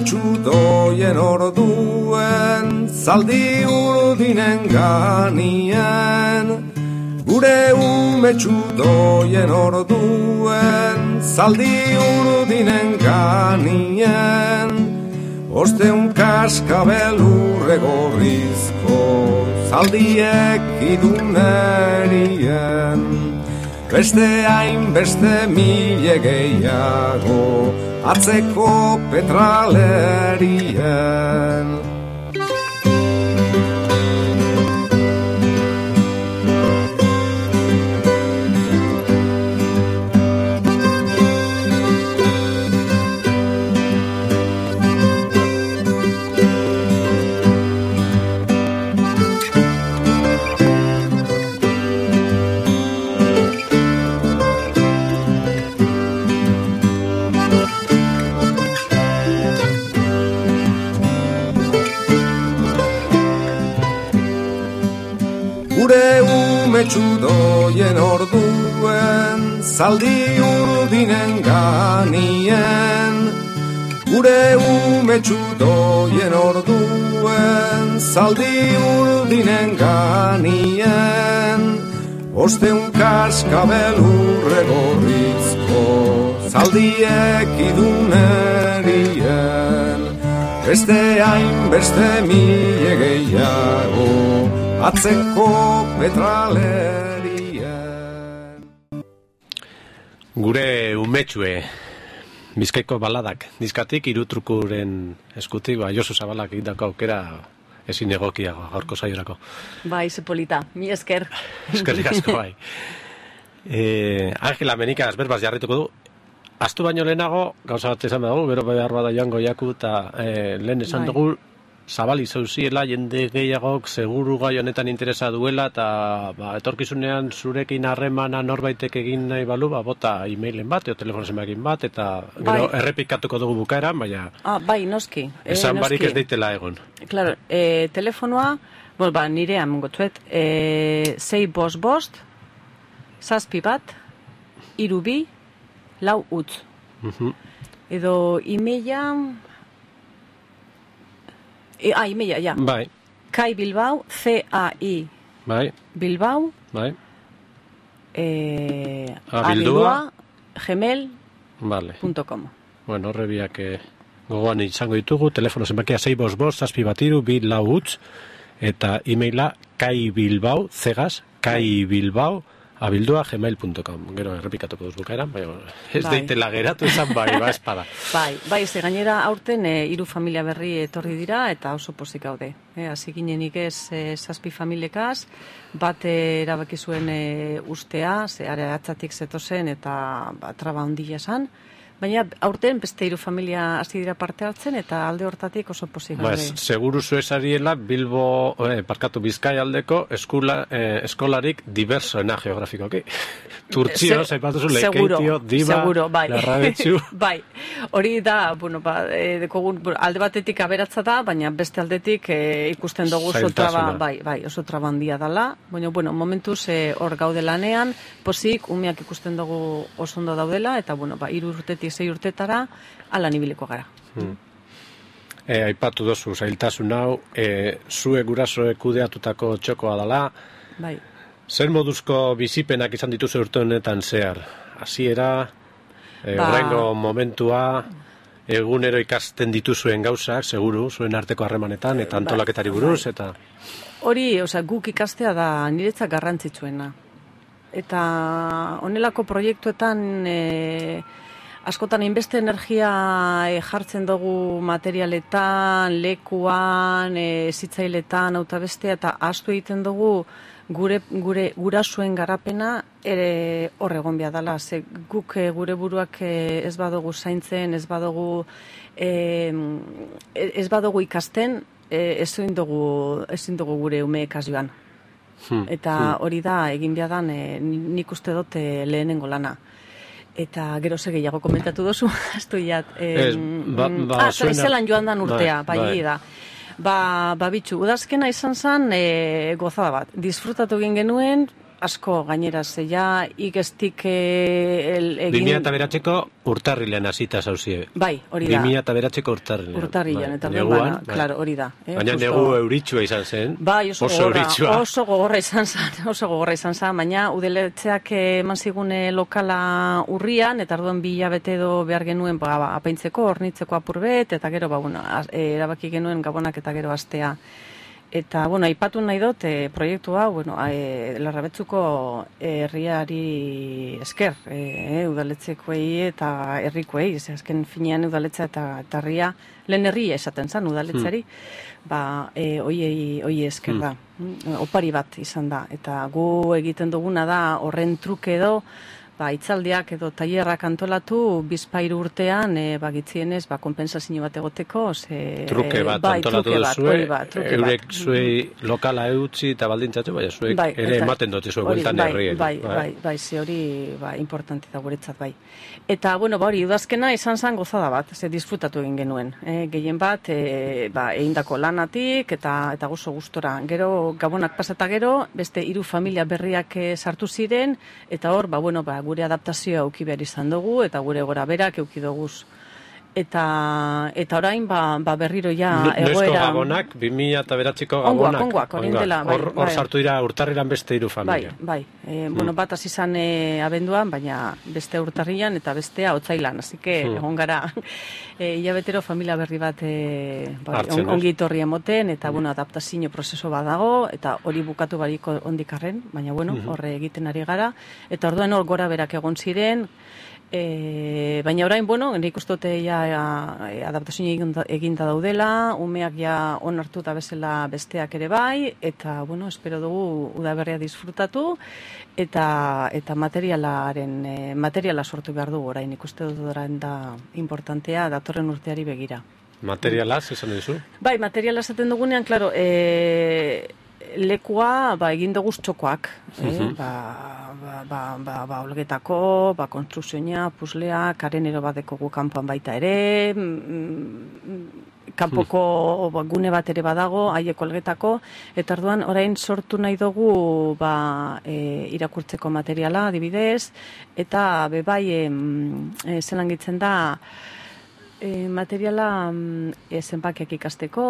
Txudoien orduen, zaldi urdinen ganien. Gure txudoien orduen, zaldi urdinen ganien. Osteun kaskabel urre gorrizko, zaldiek idunerien. Beste hainbeste mile gehiago, atzeko petralerien. Txudoien orduen, zaldi urdinen ganien. Gure txudoien orduen, zaldi urdinen ganien. Osteun kaskabel urre gorrizko, zaldiek idunerien. Beste hainbeste mile gehiago, atzeko petralerien. Gure umetxue, Bizkaiko baladak, dizkatik Irutrukuren eskutik, Josu Zabalak egitako aukera ezin egokiago gaurko saiorako. Bai, zepolita, mi esker. Eskerrik asko, bai. Angela Menikagaz berbaz jarrituko du. Astu baino lehenago, gauza bat esan dugu, gero behar bada joango jaku, eta lehen esan dugu, zabali zauziela, jende gehiagok seguru gai honetan interesa duela, eta etorkizunean zurekin harremana norbaitek egin nahi balu, bota e-mailen bat, edo telefono zenbakin bat, eta gero errepikatuko dugu bukaeran, baina... Bai, noski. Esan barik ez deitela egon. Claro, telefonoa, nirea mongotzuet, 655, 7 3 4 utz. Edo e-maila... e-maila, ja. Bai. Kai Bilbao, C-A-I. Bai. Bilbao. Bai. Abildua, gmail.com. Bueno, horrebiak gogoan izango ditugu, telefono zenbakia 655, 7 3 4 utz, eta e-maila kaibilbao, zegaz, kaibilbao, abildua@gmail.com. Gero errepikatuko duz bukaeran, baina ez deitela geratu izan espada. Ze gainera aurten 3 familia berri etorri dira eta oso pozik gaude. Hasi ginenik ez 7 familiekaz, bat erabaki zuen ustea, ze atzatik zetozen eta traba handia esan. Baina aurten beste 3 familia hasi dira parte hartzen eta alde hortatik oso pozik gaude. Seguru zuezariela Bilbo, Bizkaia aldeko eskolarik diversoena geografikoki. Turtzio, zaipatuzu, Lekeitio, Diba, Larrabetxu. Bai, hori da, alde batetik aberatza da, baina beste aldetik ikusten dugu oso traba handia dela. Baina, momentuz hor gaude lanean, pozik, umeak ikusten dugu oso ondo daudela, eta, 3 urtetik 6 urtetara, ala nibiliko gara. Aipatu dozu, zailtasun hau, zue gurasoek kudeatutako txokoa dela. Bai. Zer moduzko bizipenak izan dituzu urte honetan zehar? Hasiera, horrengo momentua, egunero ikasten dituzuen gauzak, seguru, zuen arteko harremanetan, eta antolaketari buruz, eta... Hori, guk ikastea da niretzat garrantzitsuena. Eta honelako proiektuetan... askotan inbeste energia jartzen dugu materialetan, lekuan, zitzailetan, auta bestea, eta ahaztu egiten dugu gure gurasuen garapena hor egon behar dela. Guk gure buruak ez badugu zaintzen, ez badugu ikasten, ezin dugu gure umeekaz joan. Eta hori da, egin behar dan, nik uste dut lehenengo lana. Eta gero gehiago komentatu dozu, astu jat. Zelan joan dan urtea, bai da. Bitxu, udazkena izan zen gozada bat. Disfrutatu egin genuen, asko gainera zeia, ikestik egin... 2009ko urtarrilean hasita zauzie. Bai, hori da. 2009ko urtarrilean. Urtarrilean, eta claro, hori da. Baina negu euritsua izan zen. Bai, oso gogorra izan zen, baina udaletxeak eman zigun lokala urrian, eta orduan 2 hilabete edo behar genuen apaintzeko, hornitzeko apurbet, eta gero, erabaki genuen gabonak eta gero astea. Eta, aipatu nahi dut, proiektu hau, Larrabetzuko herriari esker, udaletzekoei eta herrikoei, azken finean udaletza eta herria, lehen herria esaten zen udaletzeari, hoi esker da, opari bat izan da. Eta gu egiten duguna da horren truke edo, itzaldiak edo tailerrak antolatu, 2-3 urtean, gitzienez, konpensazio bat egoteko. Truke bat antolatu duzue, eurek zuei lokala eutzi eta baldintzatu, zuek ere ematen dute zuek bueltan herri. Bai, ze hori importante da guretzat, bai. Eta, hori, udazkena izan zen gozada bat, disfrutatu egin genuen. Gehien bat, egindako lanatik eta gozo gustora. Gero, gabonak pasata gero, beste 3 familia berriak sartu ziren, eta hor, gure adaptazioa auki behar izan dugu, eta gure gora berak euki duguz. Eta orain, berriro ja egoera... Nesko gabonak, 2009ko gabonak. Ongoak, orintela. Hor sartu dira urtarrilan beste 3 familia. Bai. Bat hasi izan abenduan, baina beste urtarrilan eta bestea otsailan. Así que, egon gara, hilabetero familia berri bat ongi torri emoten, eta, adaptazio prozeso bat dago, eta hori bukatu bariko ondikarren, baina, horre egiten ari gara. Eta orduan hor gora berak egon ziren, baina orain, nik uste dute adaptazio eginda daudela, umeak ja onartu eta bezala besteak ere bai, eta, espero dugu udaberria disfrutatu, eta materiala sortu behar dugu orain, nik uste dut orain da importantea datorren urteari begira. Materialaz, esan duzu? Bai, materiala esaten dugunean, klaro, lekua egin dugu txokoak, olgetako, konstrukzioa, puslea, karenero bat dekogu kanpoan baita ere, kanpoko gune bat ere badago, haiek olgetako, eta orduan orain sortu nahi dugu irakurtzeko materiala, adibidez, eta bebai zelan gitzen da, materiala zenbakiak ikasteko,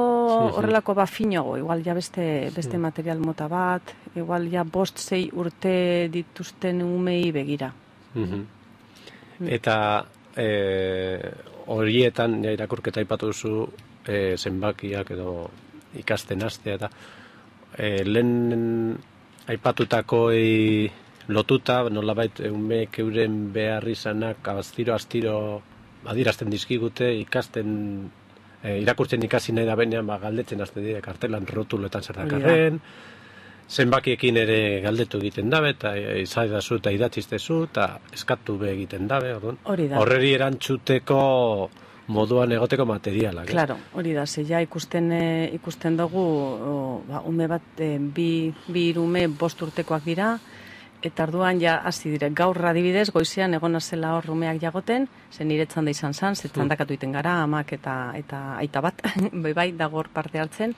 horrelako finago, igual ja beste material mota bat, igual ja 5-6 urte dituzten umei begira. Eta horietan irakurketa aipatu duzu zenbakiak edo ikasten hastea eta lehen aipatutakoi lotuta, nolabait umeek euren behar izanak astiro adierazten dizkigute, ikasten, irakurtzen ikasi nahi da benean, galdetzen hasten dira kartelan rotuletan zer dakarren, zenbakiekin ere galdetu egiten dabe, eta izaidazu eta idatziztezu, eta eskatu be egiten dabe, horreri erantzuteko moduan egoteko materialak. Claro, hori da, zeia ikusten dugu, ume bat, bi ume 5 urtekoak dira, eta arduan ja hasi dire, gaur adibidez, goizean egona zela hor umeak jagoten, zen niretzan da izan zan, zetzandakatu iten gara, amak eta aita bat, bai, dagor parte hartzen,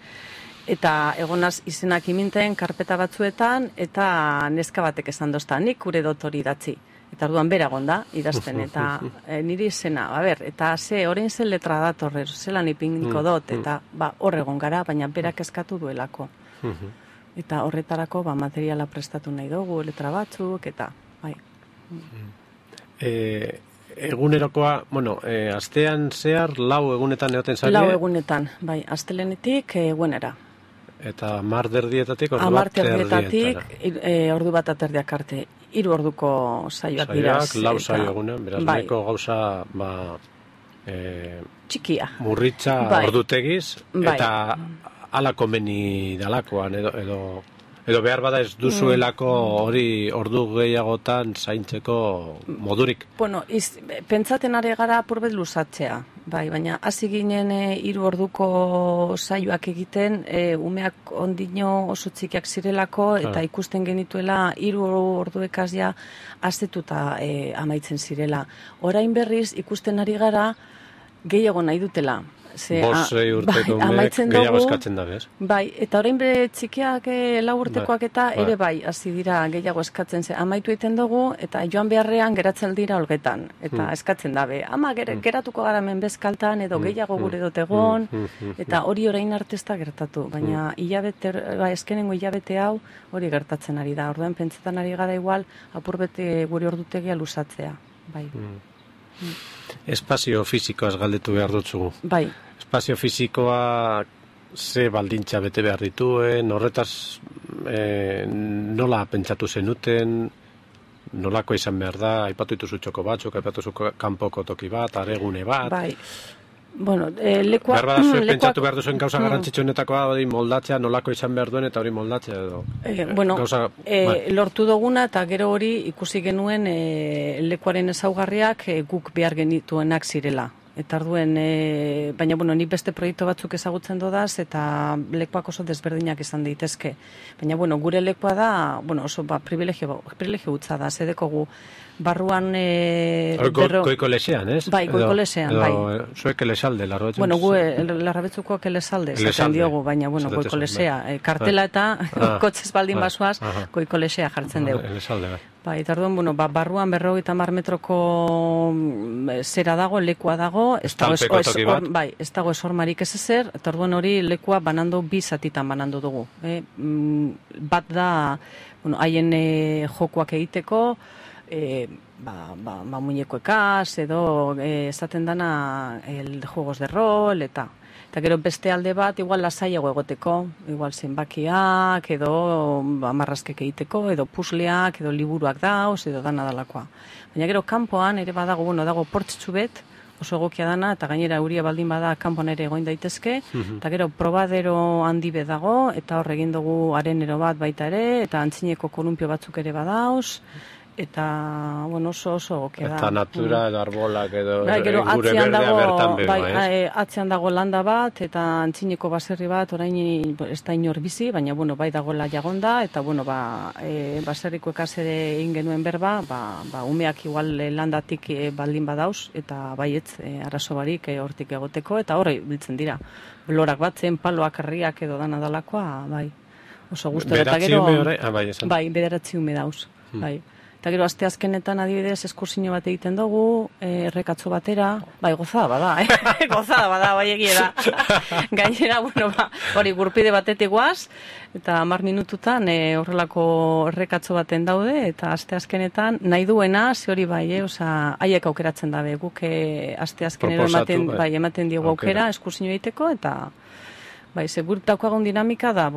eta egonaz izenak iminten karpeta batzuetan, eta neska batek esan dozta, nik gure dotori idatzi. Eta orduan bera gonda, idazten, eta niri izena, eta orain zen letra datorre, zelan ipiniko dut, eta hor egon gara, baina berak eskatu duelako. Eta horretarako materiala prestatu nahi dugu, letra batzuk, eta bai. Egunerokoa, astean zehar 4 egunetan egoten zari? 4 egunetan, bai, astelenetik egunera. Eta 10:30 ordu bat erdietatik, ordu bat aterdiak arte. 3 orduko saioak dira. Saioak, 4 saio egunen, beraz, nahiko gauza, txikia. Murritza ordutegiz, eta ala komeni dalakoan, edo behar bada ez duzuelako hori ordu gehiagotan zaintzeko modurik. Bueno, pentsaten ari gara apurbet luzatzea, bai, baina hasi ginen 3 orduko saioak egiten, umeak ondino oso txikiak zirelako, eta ikusten genituela 3 orduekaz ja azetuta amaitzen zirela. Orain berriz ikusten ari gara gehiago nahi dutela. 5-6 urteko umeek gehiago eskatzen da, bez? Bai, eta orain be txikiak 4 urtekoak eta ere bai, hasi dira gehiago eskatzen amaitu egiten dugu, eta joan beharrean geratzen dira olgetan, eta eskatzen dabe. Ama geratuko gara hemen bezkaltan, edo gehiago gure dut egon, eta hori orain arte ez da gertatu, baina eskenengo hilabete hau hori gertatzen ari da. Orduan pentsetan ari gara igual, apurbete gure ordutegia luzatzea, bai. Espazio fisikoaz galdetu behar dutzugu. Bai. Espazio fisikoa ze baldintza bete behar dituen, horretaz nola pentsatu zenuten, nolako izan behar da, aipatu dituzu txoko batzuk, aipatu zu kanpoko toki bat, aregune bat. Bai. Bueno, lekua... Behar bada zuen pentsatu behar duzuen gauza garrantzitsuenetakoa hori moldatzea, nolako izan behar duen eta hori moldatzea edo... Lortu duguna eta gero hori ikusi genuen lekuaren ezaugarriak guk behar genituenak zirela. Eta arduen, baina nik beste proiektu batzuk ezagutzen dodaz eta lekuak oso desberdinak izan daitezke. Baina gure lekua da, oso privilegio gutza da, zedeko gu barruan... Goiko lesean, ez? Bai, goiko lesean, bai. Zuek elesalde, larrabetzuk? Gu larrabetzukoak elesalde, zaten diogu, baina goiko lesea. Kartela eta kotxez baldin basoaz, goiko lesea jartzen dugu. Elesalde, bai. Bai, eta orduan, barruan 50 metroko zera dago, lekua dago, ez dago esormarik ez ezer, eta orduan hori lekua banando 2 zatitan banando dugu. Bat da, haien jokuak egiteko, muñekoekaz, edo esaten dana juegos de rol, eta gero beste alde bat, igual lasaiago egoteko, igual zenbakiak, edo amarrazkek egiteko, edo pusleak, edo liburuak dauz, edo dana dalakoa. Baina gero kanpoan ere badago, dago portzitzu bet, oso egokia dana, eta gainera euria baldin bada kanpoan ere egoin daitezke, eta gero probadero handi bet dago, eta hor egin dugu arenero bat baita ere, eta antzineko kolumpio batzuk ere badauz, eta, oso egokia da. Eta natura edo arbolak edo gure berdea bertan begoa, ez? Atzean dago landa bat, eta antzineko baserri bat, orain ez da inor bizi, baina, bai dagoela jagonda, eta, baserriko ekazere egin genuen berba, umeak igual landatik baldin badauz, eta baietz, arazo barik hortik egoteko, eta horre biltzen dira. Lorak batzen, paloak, herriak edo dana dalakoa, bai. Oso guztu, eta gero... Bederatzi ume dauz, bai. Eta gero, asteazkenetan adibidez eskursio bat egiten dugu, errekatzo batera, gozada bada, gozada bada, bai egia da. Gainera, hori gurpide batetik guaz, eta 10 minututan horrelako errekatzo baten daude, eta asteazkenetan nahi duena, ze hori bai, haiek aukeratzen dabe, guk asteazkenero ematen diegu aukera eskursio egiteko, eta ze gurtako agon dinamika da,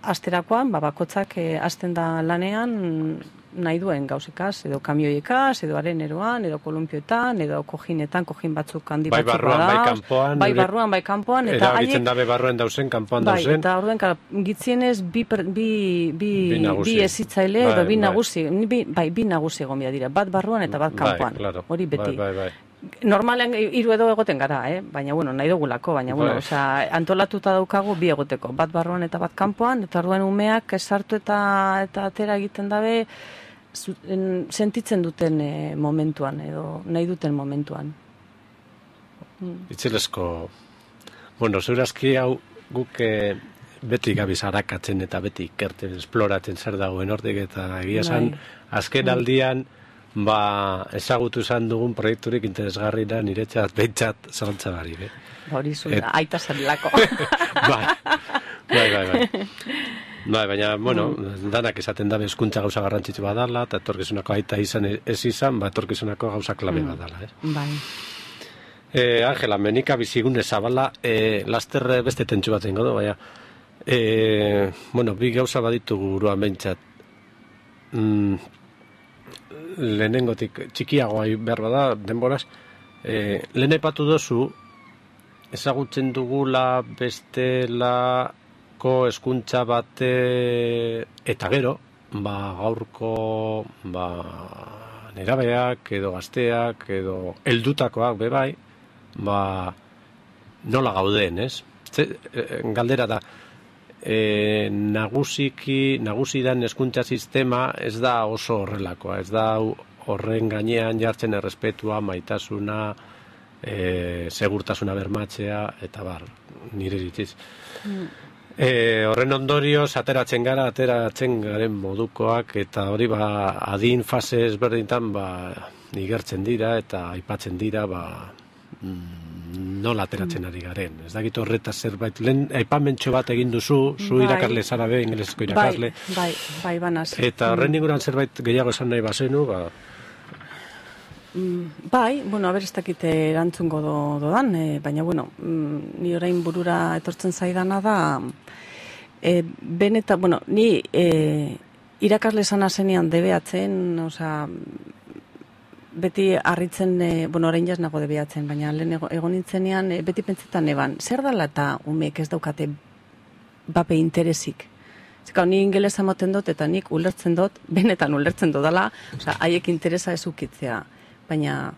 asterakoan, bakotzak hasten da lanean nahi duen gauzekaz, edo kamioiekaz, edo areneroan, edo kolumpioetan, edo kojinetan, kojin batzuk handi batzuk barruan, bai kanpoan. Bai barruan, bai kanpoan. Eta erabiltzen dabe barruan dauzen, kanpoan dauzen. Eta orduen, gitzienez bi ezitzaile, edo bi nagusi, bi nagusi egon bia dira, bat barruan eta bat kanpoan. Hori beti. Bai. Normalean 3 edo egoten gara, baina, nahi dugulako, baina, antolatuta daukagu bi egoteko, bat barruan eta bat kanpoan, eta orduen umeak sartu eta atera egiten dabe, sentitzen duten momentuan, edo nahi duten momentuan. Itzelezko, zeurazki hau guk beti gabiz harakatzen eta beti ikerten, esploratzen zer dagoen hortik, eta egia esan, azken aldian, ezagutu izan dugun proiekturik interesgarri da niretzat behintzat zalantza barik. Hori zuen, aita zelako. Bai, baina, danak esaten dabe hezkuntza gauza garrantzitsu badala, eta etorkizunako aita izan ez izan, etorkizunako gauza klabe badala. Bai. Angela, menika bizigune zabala, laster beste tentsu bat zengo du, baina, bi gauza baditugu buruan behintzat. Lehenengotik txikiagoa behar bada, denboraz, lehen aipatu dozu, ezagutzen dugula bestelako hezkuntza bate eta gero, gaurko nerabeak edo gazteak edo heldutakoak bebai, nola gauden, ez? Galdera da, nagusi dan hezkuntza sistema ez da oso horrelakoa, ez da horren gainean jartzen errespetua, maitasuna, segurtasuna bermatzea, eta nire iritziz. Horren ondorioz, ateratzen garen modukoak, eta hori adin fase ezberdintan igertzen dira, eta aipatzen dira, nola ateratzen ari garen. Ez dakit horretaz zerbait, lehen aipamentxo bat egin duzu, zu irakasle zara be, ingeleseko irakasle. Bai, banaz. Eta horren inguruan zerbait gehiago esan nahi bazenu, Bai, haber ez dakit erantzungo dodan, baina, ni orain burura etortzen zaidana da, benetan, ni irakasle zana zenean debeatzen, beti harritzen, orain jaz nago debeatzen, baina lehen egon nintzenean, beti pentsetan eban, zer dala eta umeek ez daukate bape interesik? Zeka, ni ingelesa moten dut eta nik ulertzen dut, benetan ulertzen dudala, haiek interesa ez ukitzea. Baina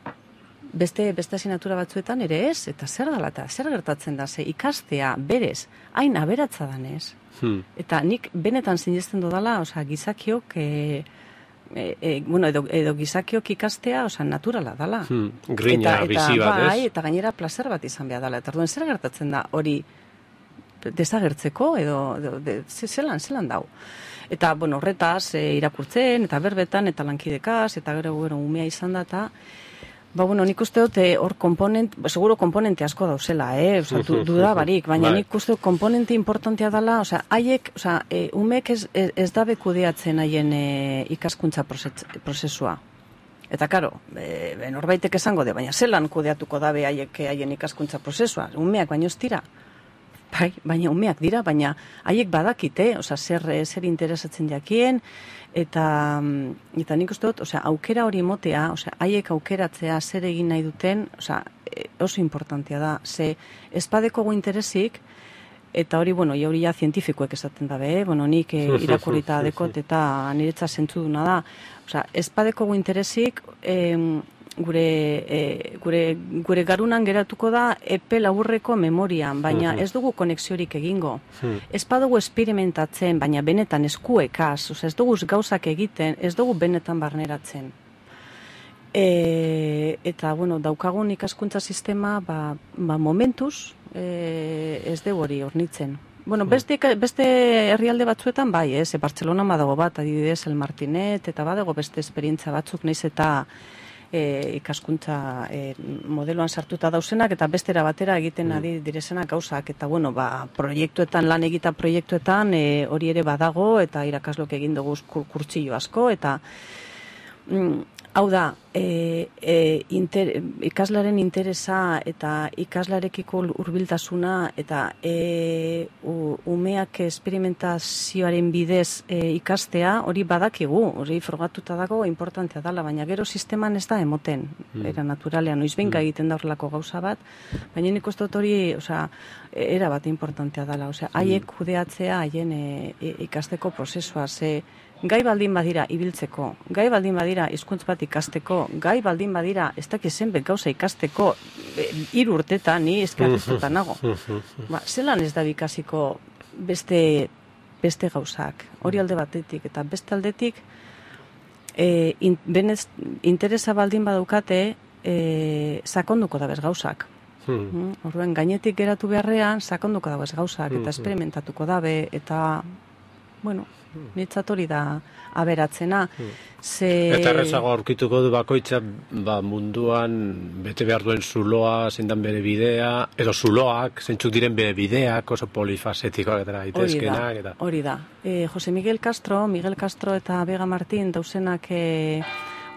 beste asignatura batzuetan ere ez, eta zer dala eta zer gertatzen da, ze ikastea berez, hain aberatza danez. Eta nik benetan sinesten dudala, gizakiok, edo gizakiok ikastea, naturala dala. Grina, bizi bat, ez? Eta gainera placer bat izan behar dala. Eta zer gertatzen da hori desagertzeko, edo zelan dau. Eta, horretaz, irakurtzen, eta berbetan, eta lankidekaz, eta gero umea izan da, eta, nik uste dut, hor seguro komponente asko dauzela, duda barik, baina nik uste dut komponente importantea dela, haiek, umeek ez dabe kudeatzen haien ikaskuntza prozesua. Eta, karo, norbaitek esango de, baina zelan kudeatuko dabe haien ikaskuntza prozesua, umeak baino ez dira. Bai, baina umeak dira, baina haiek badakite, zer interesatzen jakien, eta nik uste dut, aukera hori motea, haiek aukeratzea zer egin nahi duten, oso importantea da, ze espadeko gu interesik, eta hori, hori ja zientifikoek esaten dabe, nik irakurrita dekot, eta niretza zentzuduna da, espadeko gu interesik, gure garunan geratuko da epe laburreko memorian, baina ez dugu konexiorik egingo. Ez badugu experimentatzen, baina benetan eskuekaz, ez dugu gauzak egiten, ez dugu benetan barneratzen. Eta, daukagun ikaskuntza sistema, momentuz, ez dugu hori hornitzen. Beste herrialde batzuetan bai, Bartzelona badago bat, adibidez El Martinet, eta badago beste esperientza batzuk, naiz eta ikaskuntza modeloan sartuta dauzenak, eta bestera batera egiten adi direzenak gauzak, eta proiektuetan, lan egita proiektuetan hori ere badago, eta irakaslok egin dugu kurtsillo asko, eta Hau da, ikaslaren interesa eta ikaslarekiko hurbiltasuna eta umeak esperimentazioaren bidez ikastea, hori badakigu, hori frogatuta dago importantea dela, baina gero sisteman ez da emoten, era naturalean, noizbenka egiten da horrelako gauza bat, baina nik uste dut hori, era bat importantea dela, haiek kudeatzea, haien ikasteko prozesua, gai baldin badira ibiltzeko, gai baldin badira hizkuntz bat ikasteko, gai baldin badira ez dakiz zenbait gauza ikasteko 3 urtetan, ni eskertuta nago. Zelan ez da ikasiko beste gauzak, hori alde batetik, eta beste aldetik interesa baldin badaukate sakonduko da bez gauzak. Orduan, gainetik geratu beharrean sakonduko da bez gauzak, eta esperimentatuko dabe, eta, bueno, nitzat hori da aberatzena. Eta errezago aurkituko du bakoitza munduan bete behar duen zuloa, zein dan bere bidea, edo zuloak, zeintzuk diren bere bideak, oso polifasetikoak eta daitezkenak. Hori da. Jose Miguel Castro eta Vega Martín dauzenak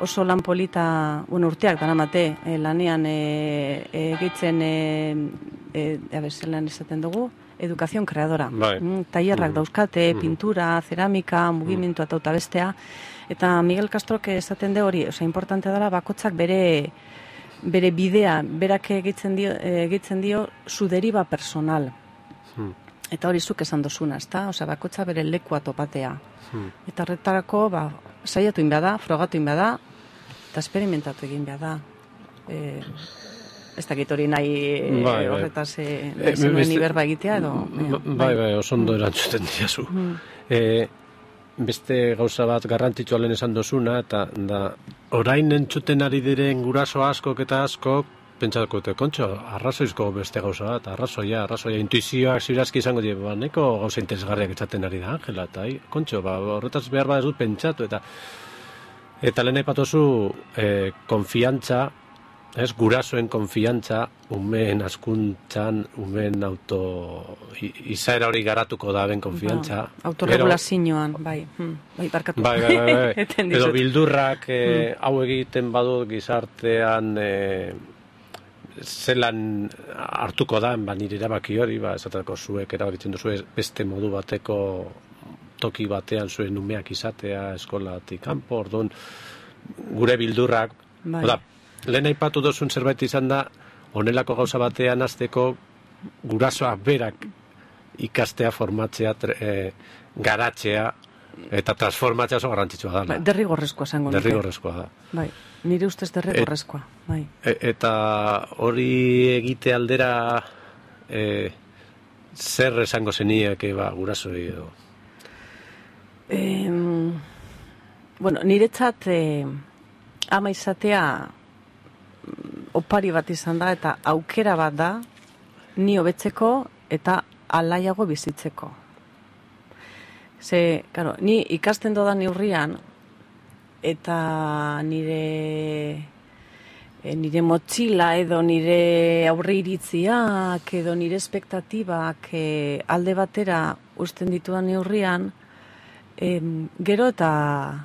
oso lan polita, urteak daramate, lanean egitzen, zelan esaten dugu, edukazion kreadora. Tailerrak dauzkate, pintura, ceramika, mugimendu eta bestea. Eta Miguel Castrok esaten de hori, importantea dela bakotzak bere bidea, berak egitzen dio su deriva personal. Eta hori zuk esan dozuna, ezta? Bakotza bere lekua topatea. Eta horretarako, saiatu inbea da, frogatu inbea da, eta esperimentatu egin behar da. Ez dakit hori nahi horretaz zenuen iberba egitea edo... Bai, oso ondo erantzuten diazu. Beste gauza bat garrantzitsua lehen esan dozuna, eta orain entzuten ari diren guraso askok eta askok, pentsatuko dute, kontxo, arrazoizko beste gauza bat, arrazoia, intuizioak zirazki izango dira, neko gauza interesgarriak etzaten ari da, Angela, eta kontxo, horretaz behar bat ez dut pentsatu, eta lehen aipatuzu konfiantza, gurasoen konfiantza, umeen askuntzan, umeen izaera hori garatuko da ben konfiantza. Autorregulazioan, bai, barkatu. Bai. Edo bildurrak hau egiten badu gizartean zelan hartuko da, nire erabaki hori, esateko zuek erabakitzen duzu beste modu bateko toki batean zuen umeak izatea, eskolatik kanpo, orduan gure bildurrak, lehen aipatu dozun zerbait izan da, honelako gauza batean hasteko gurasoak berak ikastea, formatzea, garatzea, eta transformatzea oso garrantzitsua da. Derrigorrezkoa zango nuke. Derrigorrezkoa da. Bai, nire ustez derrigorrezkoa. Eta hori egite aldera zer esango zeniak gurasoi edo? Niretzat ama izatea opari bat izan da eta aukera bat da ni hobetzeko eta alaiago bizitzeko. Ni ikasten dodan neurrian eta nire motxila edo nire aurre iritziak edo nire espektatibak alde batera uzten ditudan neurrian gero eta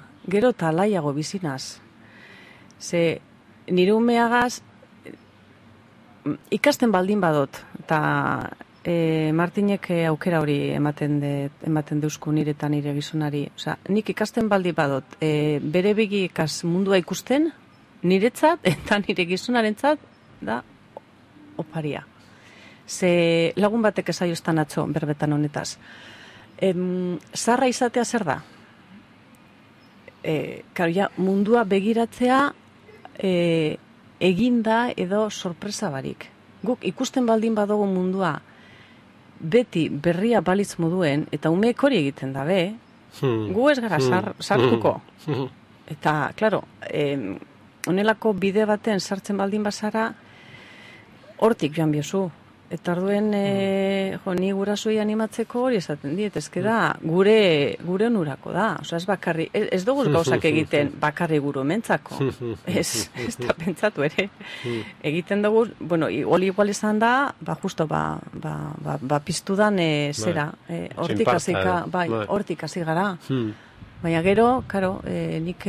alaiago bizinaz. Nire umeagaz ikasten baldin badot, eta Martinek aukera hori ematen deuzku nire eta nire gizonari. Nik ikasten baldin badot, bere begikaz mundua ikusten, niretzat eta nire gizonarentzat da oparia. Lagun batek esaioztan atzo berbetan honetaz. Zarra izatea zer da? Mundua begiratzea eginda edo sorpresa barik. Guk ikusten baldin badugu mundua beti berria balitz moduen, eta umeek hori egiten dabe, gu ez gara sartuko. Eta, klaro, honelako bide baten sartzen baldin bazara, hortik joan biozu. Eta orduen, ni gurasoi animatzeko hori esaten diet, ezke da, gure onurako da. Ez bakarri, ez dugu gauzak egiten bakarri guru mentzako. Ez da pentsatu ere. Egiten dugu, hori igual izan da, justo, piztu dan zera. Hortik hasi gara. Baina gero, karo, nik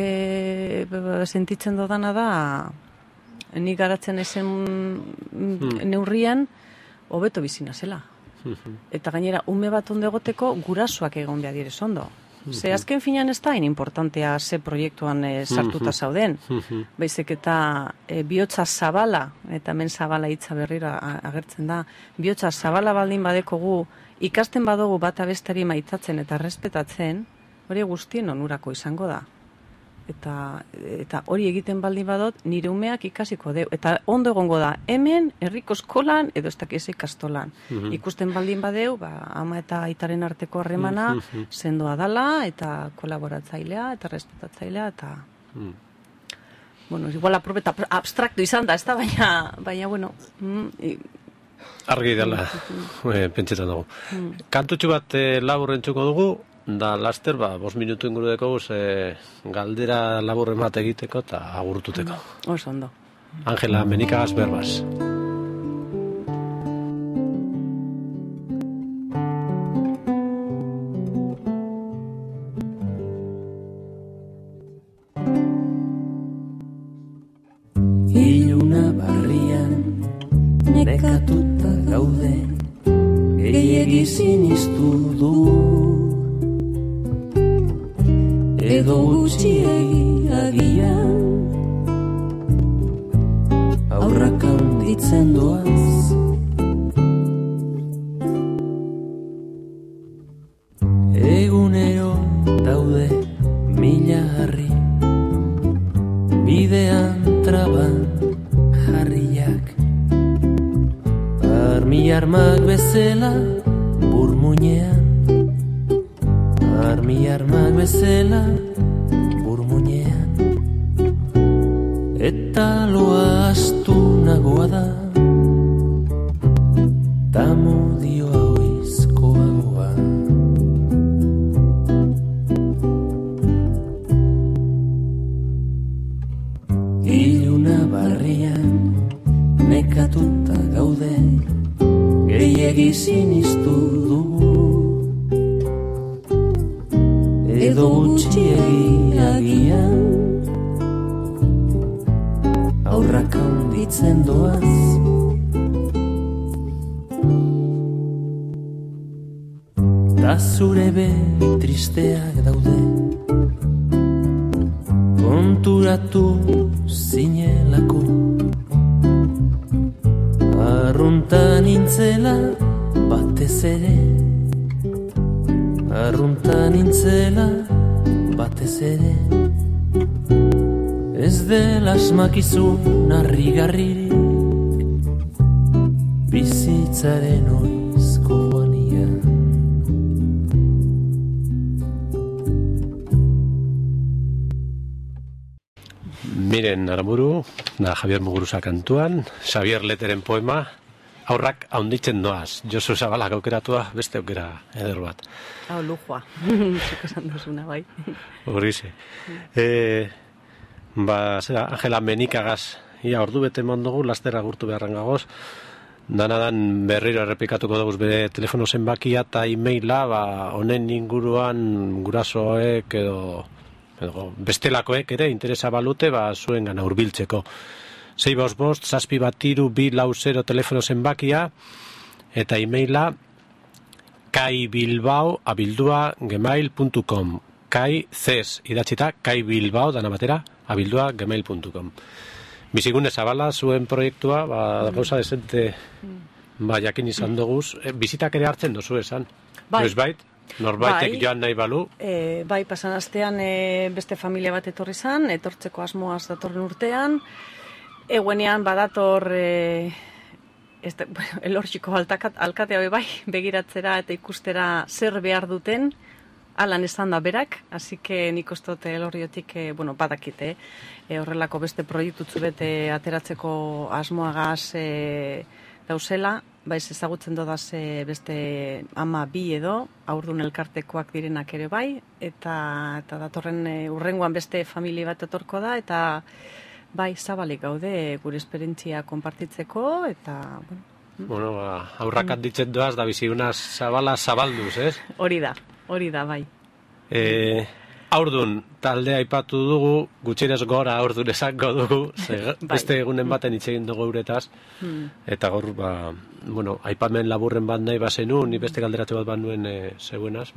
sentitzen dodana da, nik garatzen ezen neurrian, hobeto bizina zela. Eta gainera, ume bat ondo egoteko gurasoak egon behar direz ondo. Ze azken finan ez da importantea ze proiektuan sartuta zauden. Baizik eta bihotza zabala, eta hemen zabala hitza berriro agertzen da, bihotza zabala baldin badekogu, ikasten badugu bata bestari maitatzen eta respetatzen, hori guztien onurako izango da. Eta hori egiten baldin badot, nire umeak ikasiko deu. Eta ondo egongo da, hemen, herriko eskolan, edo ez dakiz ikastolan. Ikusten baldin badeu, ama eta aitaren arteko harremana, sendoa dala, eta kolaboratzailea, eta respetatzailea, eta... Bueno, igual aprobeta abstraktu izan da, ez da, baina, bueno... Argi dela, pentsetan dugu. Kantutxu bat labur entzuko dugu, da laster, 5 minutu inguru deko galdera laburren bat egiteko eta agurtuteko. Oso ondo. Angela Menikagas Berbas. Iluna barrian nekatuta gaude, gehiegi sinistu du, edo gutxiegi agian aurrak handitzen doaz. Egunero daude mila harri, bidean traban jarriak, armak bezala burmuinean, armak bezala burmuinean, eta loa astu nagoa da, tamudioa oizkoagoa. Iluna barrian nekatuta gaude, gehiegi sinistu dugu, edo gutxiegi agian aurrak handitzen doaz. Da zure begi tristeak daude, konturatu zinelako, arruntan nintzela batez ere, arruntan nintzela batez ere, ez dela asmakizun harrigarririk bizitzaren oizkoania. Miren Aramburu, da Javier Muguruza kantuan, Xavier Leteren poema, aurrak haunditzen doaz. Josu Zabalak aukeratua, beste aukera eder bat. Hau, lujua. Zuko esan duzuna, bai. Horize. Angela Menikagas, ia ordu bete mondugu, laster agurtu beharran gagoz. Danadan berriro errepikatuko dugu bere telefono zenbakia eta e-maila, honen inguruan gurasoek edo bestelakoek ere interesa balute zuen gana hurbiltzeko. 655-732-240 telefono zenbakia eta e-maila kaibilbao@gmail.com kai-ces idatzita kaibilbao dana batera @gmail.com. Bizigune Zabala zuen proiektua gauza desente jakin izan doguz, bizitak ere hartzen dozu esan. Noiz bait? Norbaitek joan nahi balu? Bai, pasan astean beste familia bat etorri zan, etortzeko asmoaz datorren urtean. Eguenean badator elorxiko alkatea bai, begiratzera eta ikustera zer behar duten, alan esan da berak, así que nik ustot elorriotik, badakite, horrelako beste proiektutzu bete ateratzeko asmoagaz dauzela, baiz ezagutzen dodaz beste ama bi edo, haurdun elkartekoak direnak ere bai, eta datorren urrengoan beste familia bat etorko da, eta bai, zabalik gaude gure esperientzia konpartitzeko, eta... aurrak handitzen doaz, da bizi una Zabala zabalduz, ez? Hori da, bai. Aurdun taldea aipatu dugu, gutxienez gora aurdun esango dugu, beste egunen baten hitz egin dugu euretaz, eta gaur, aipamen laburren bat nahi bazenu, ni beste galderatu bat nuen zeuenaz,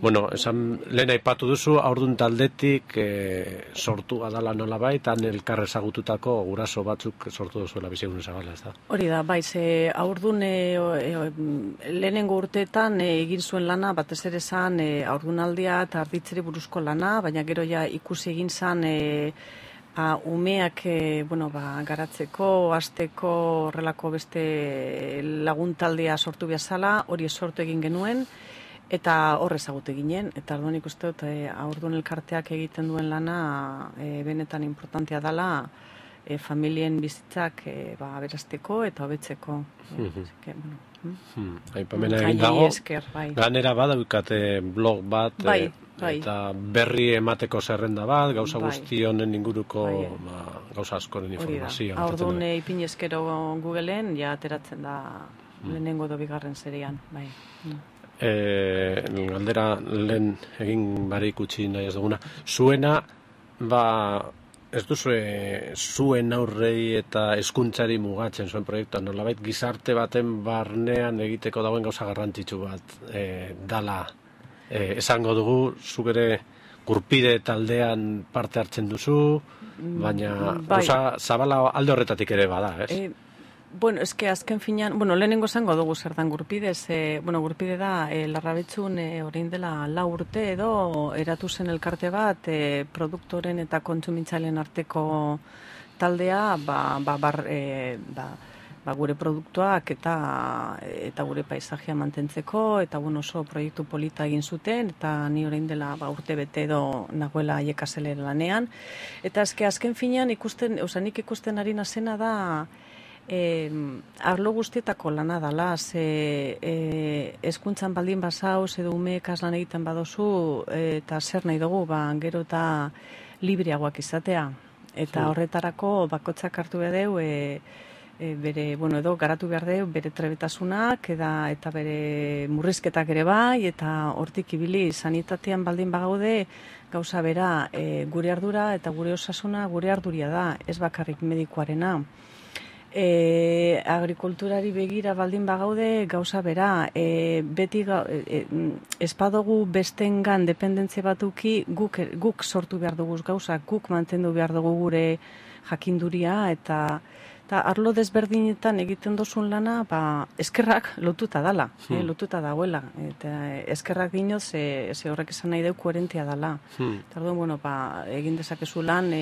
lehen aipatu duzu, aurdun taldetik sortu adala nolabait, han elkar ezagututako guraso batzuk sortu duzuela bizigun ezagala, ez da? Hori da, aurdun lehenengo urteetan egin zuen lana, batez ere zan aurdunaldia eta arditzeri buruzko lana, baina gero ja ikusi egin zan umeak garatzeko, hasteko horrelako beste laguntaldea sortu behazala, hori sortu egin genuen, eta hor ezagutu ginen, eta orduan ikuste dut aurdun elkarteak egiten duen lana benetan importantea dela familien bizitzak aberasteko eta hobetzeko. Aipamena egin dago, ganera badaukate blog bat, eta berri emateko zerrenda bat, gauza guzti honen inguruko gauza askoren informazioa. Aurdun ipinezkero Googleen ja ateratzen da lehenengo edo bigarren serian, bai. Galdera lehen egin barik utzi nahi ez duguna. Zuena, ez duzue zuen aurrei eta hezkuntzari mugatzen zuen proiektuan, nolabait gizarte baten barnean egiteko dagoen gauza garrantzitsu bat dala. Esango dugu, zuk ere Gurpide taldean parte hartzen duzu, baina gauza zabala alde horretatik ere bada, ez? Azken finean, lehenengo zango dugu zertan Gurpidez, Gurpide da, Larrabetzun orain dela 4 urte edo eratu zen elkarte bat, produktoren eta kontsumintzaileen arteko taldea, gure produktuak eta gure paisajea mantentzeko, eta oso proiektu polita egin zuten, eta ni orain dela urte bete edo nagoela aiekazelera lanean, eta azken finean nik ikusten ari nazena da, arlo guztietako lana dala, hezkuntzan baldin bazauz edo umeekaz lan egiten badozu, eta zer nahi dugu, gero eta libreagoak izatea. Eta horretarako bakotzak hartu behar edo garatu behar deu bere trebetasunak eta bere murrizketak ere bai, eta hortik ibili sanitatean baldin bagaude gauza bera, gure ardura eta gure osasuna gure arduria da, ez bakarrik medikuarena. Agrikulturari begira baldin bagaude gauza bera, beti espadogu bestengan dependentzia batuki guk sortu behar dugu gauza, guk mantendu behar dugu gure jakinduria, eta arlo desberdinetan egiten dozun lana, eskerrak lotuta dala, lotuta dagoela, eta eskerrak dinoz, ze horrek esan nahi deu koherentia dala. Eta egin dezakezu lan,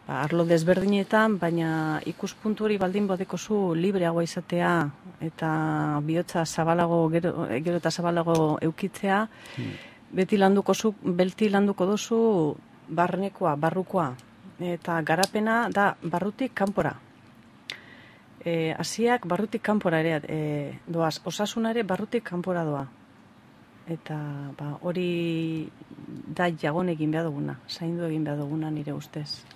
arlo desberdinetan, baina ikuspuntu hori baldin badekozu libreagoa izatea eta bihotza gero eta zabalago eukitzea, beti landuko duzu barnekoa, barrukoa, eta garapena da barrutik kanpora. Hasiak barrutik kanpora ere doaz, osasuna ere barrutik kanpora doa. Eta hori da jagon egin behar duguna, zaindu egin behar duguna nire ustez.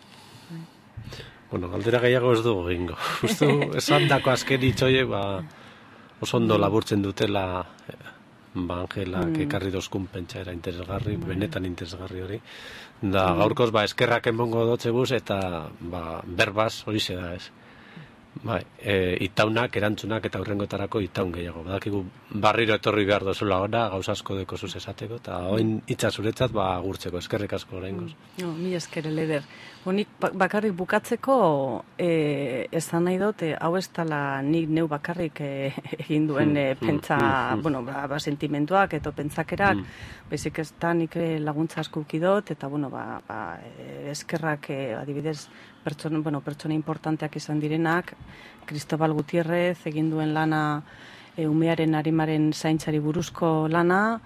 Galdera gehiago ez dugu egingo. Esan dako azken itxoiek oso ondo laburtzen dutela Angelak ekarri dozkun pentsaera interesgarri, benetan interesgarri hori. Da gaurkoz eskerrak emongo dotzeguz eta berbaz hori da ez. Itaunak, erantzunak eta hurrengotarako itaun gehiago. Badakigu barriro etorri behar dozula ona, gauza asko deko zuz esateko, eta oin itza zuretzat agurtzeko, eskerrik asko oraingoz. Mi esker, Leder. Nik bakarrik bukatzeko ez da nahi dut, hau ez dala nik neu bakarrik egin duen pentsa, sentimentuak eta pentsakerak, bezik ez da nik laguntza asko ukidot, eta eskerrak adibidez pertsona importanteak izan direnak, Cristobal Gutierrez egin duen lana umearen arimaren zaintzari buruzko lana,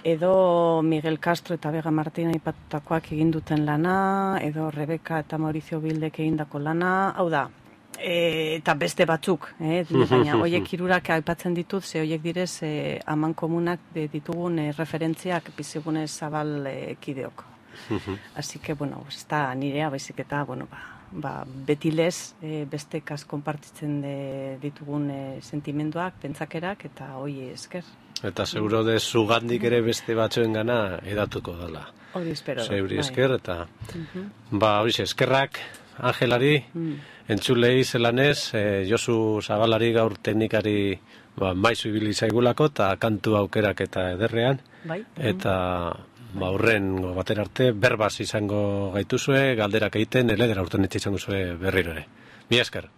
edo Miguel Castro eta Vega Martina aipatutakoak egin duten lana, edo Rebeka eta Mauricio Bildek egindako lana, hau da, eta beste batzuk, baina hoiek hirurak aipatzen ditut, ze hoiek direz aman komunak ditugun referentziak bizigune zabal kideok. Así que, ez da nirea, baizik eta, beti lez, bestekaz konpartitzen ditugun sentimenduak, pentsakerak, eta hoi esker. Eta seguro de zugandik ere beste batzuen gana edatuko dela. Hori espero. Zeuri esker, eta hori eskerrak Angelari, entzulei zelanez, Josu Zabalari gaur teknikari maizu ibili zaigulako, eta kantu aukerak eta ederrean, eta aurren batera arte, berbaz izango gaituzue, galderak egiten, eledera urten izango zue berriro ere. Mi esker.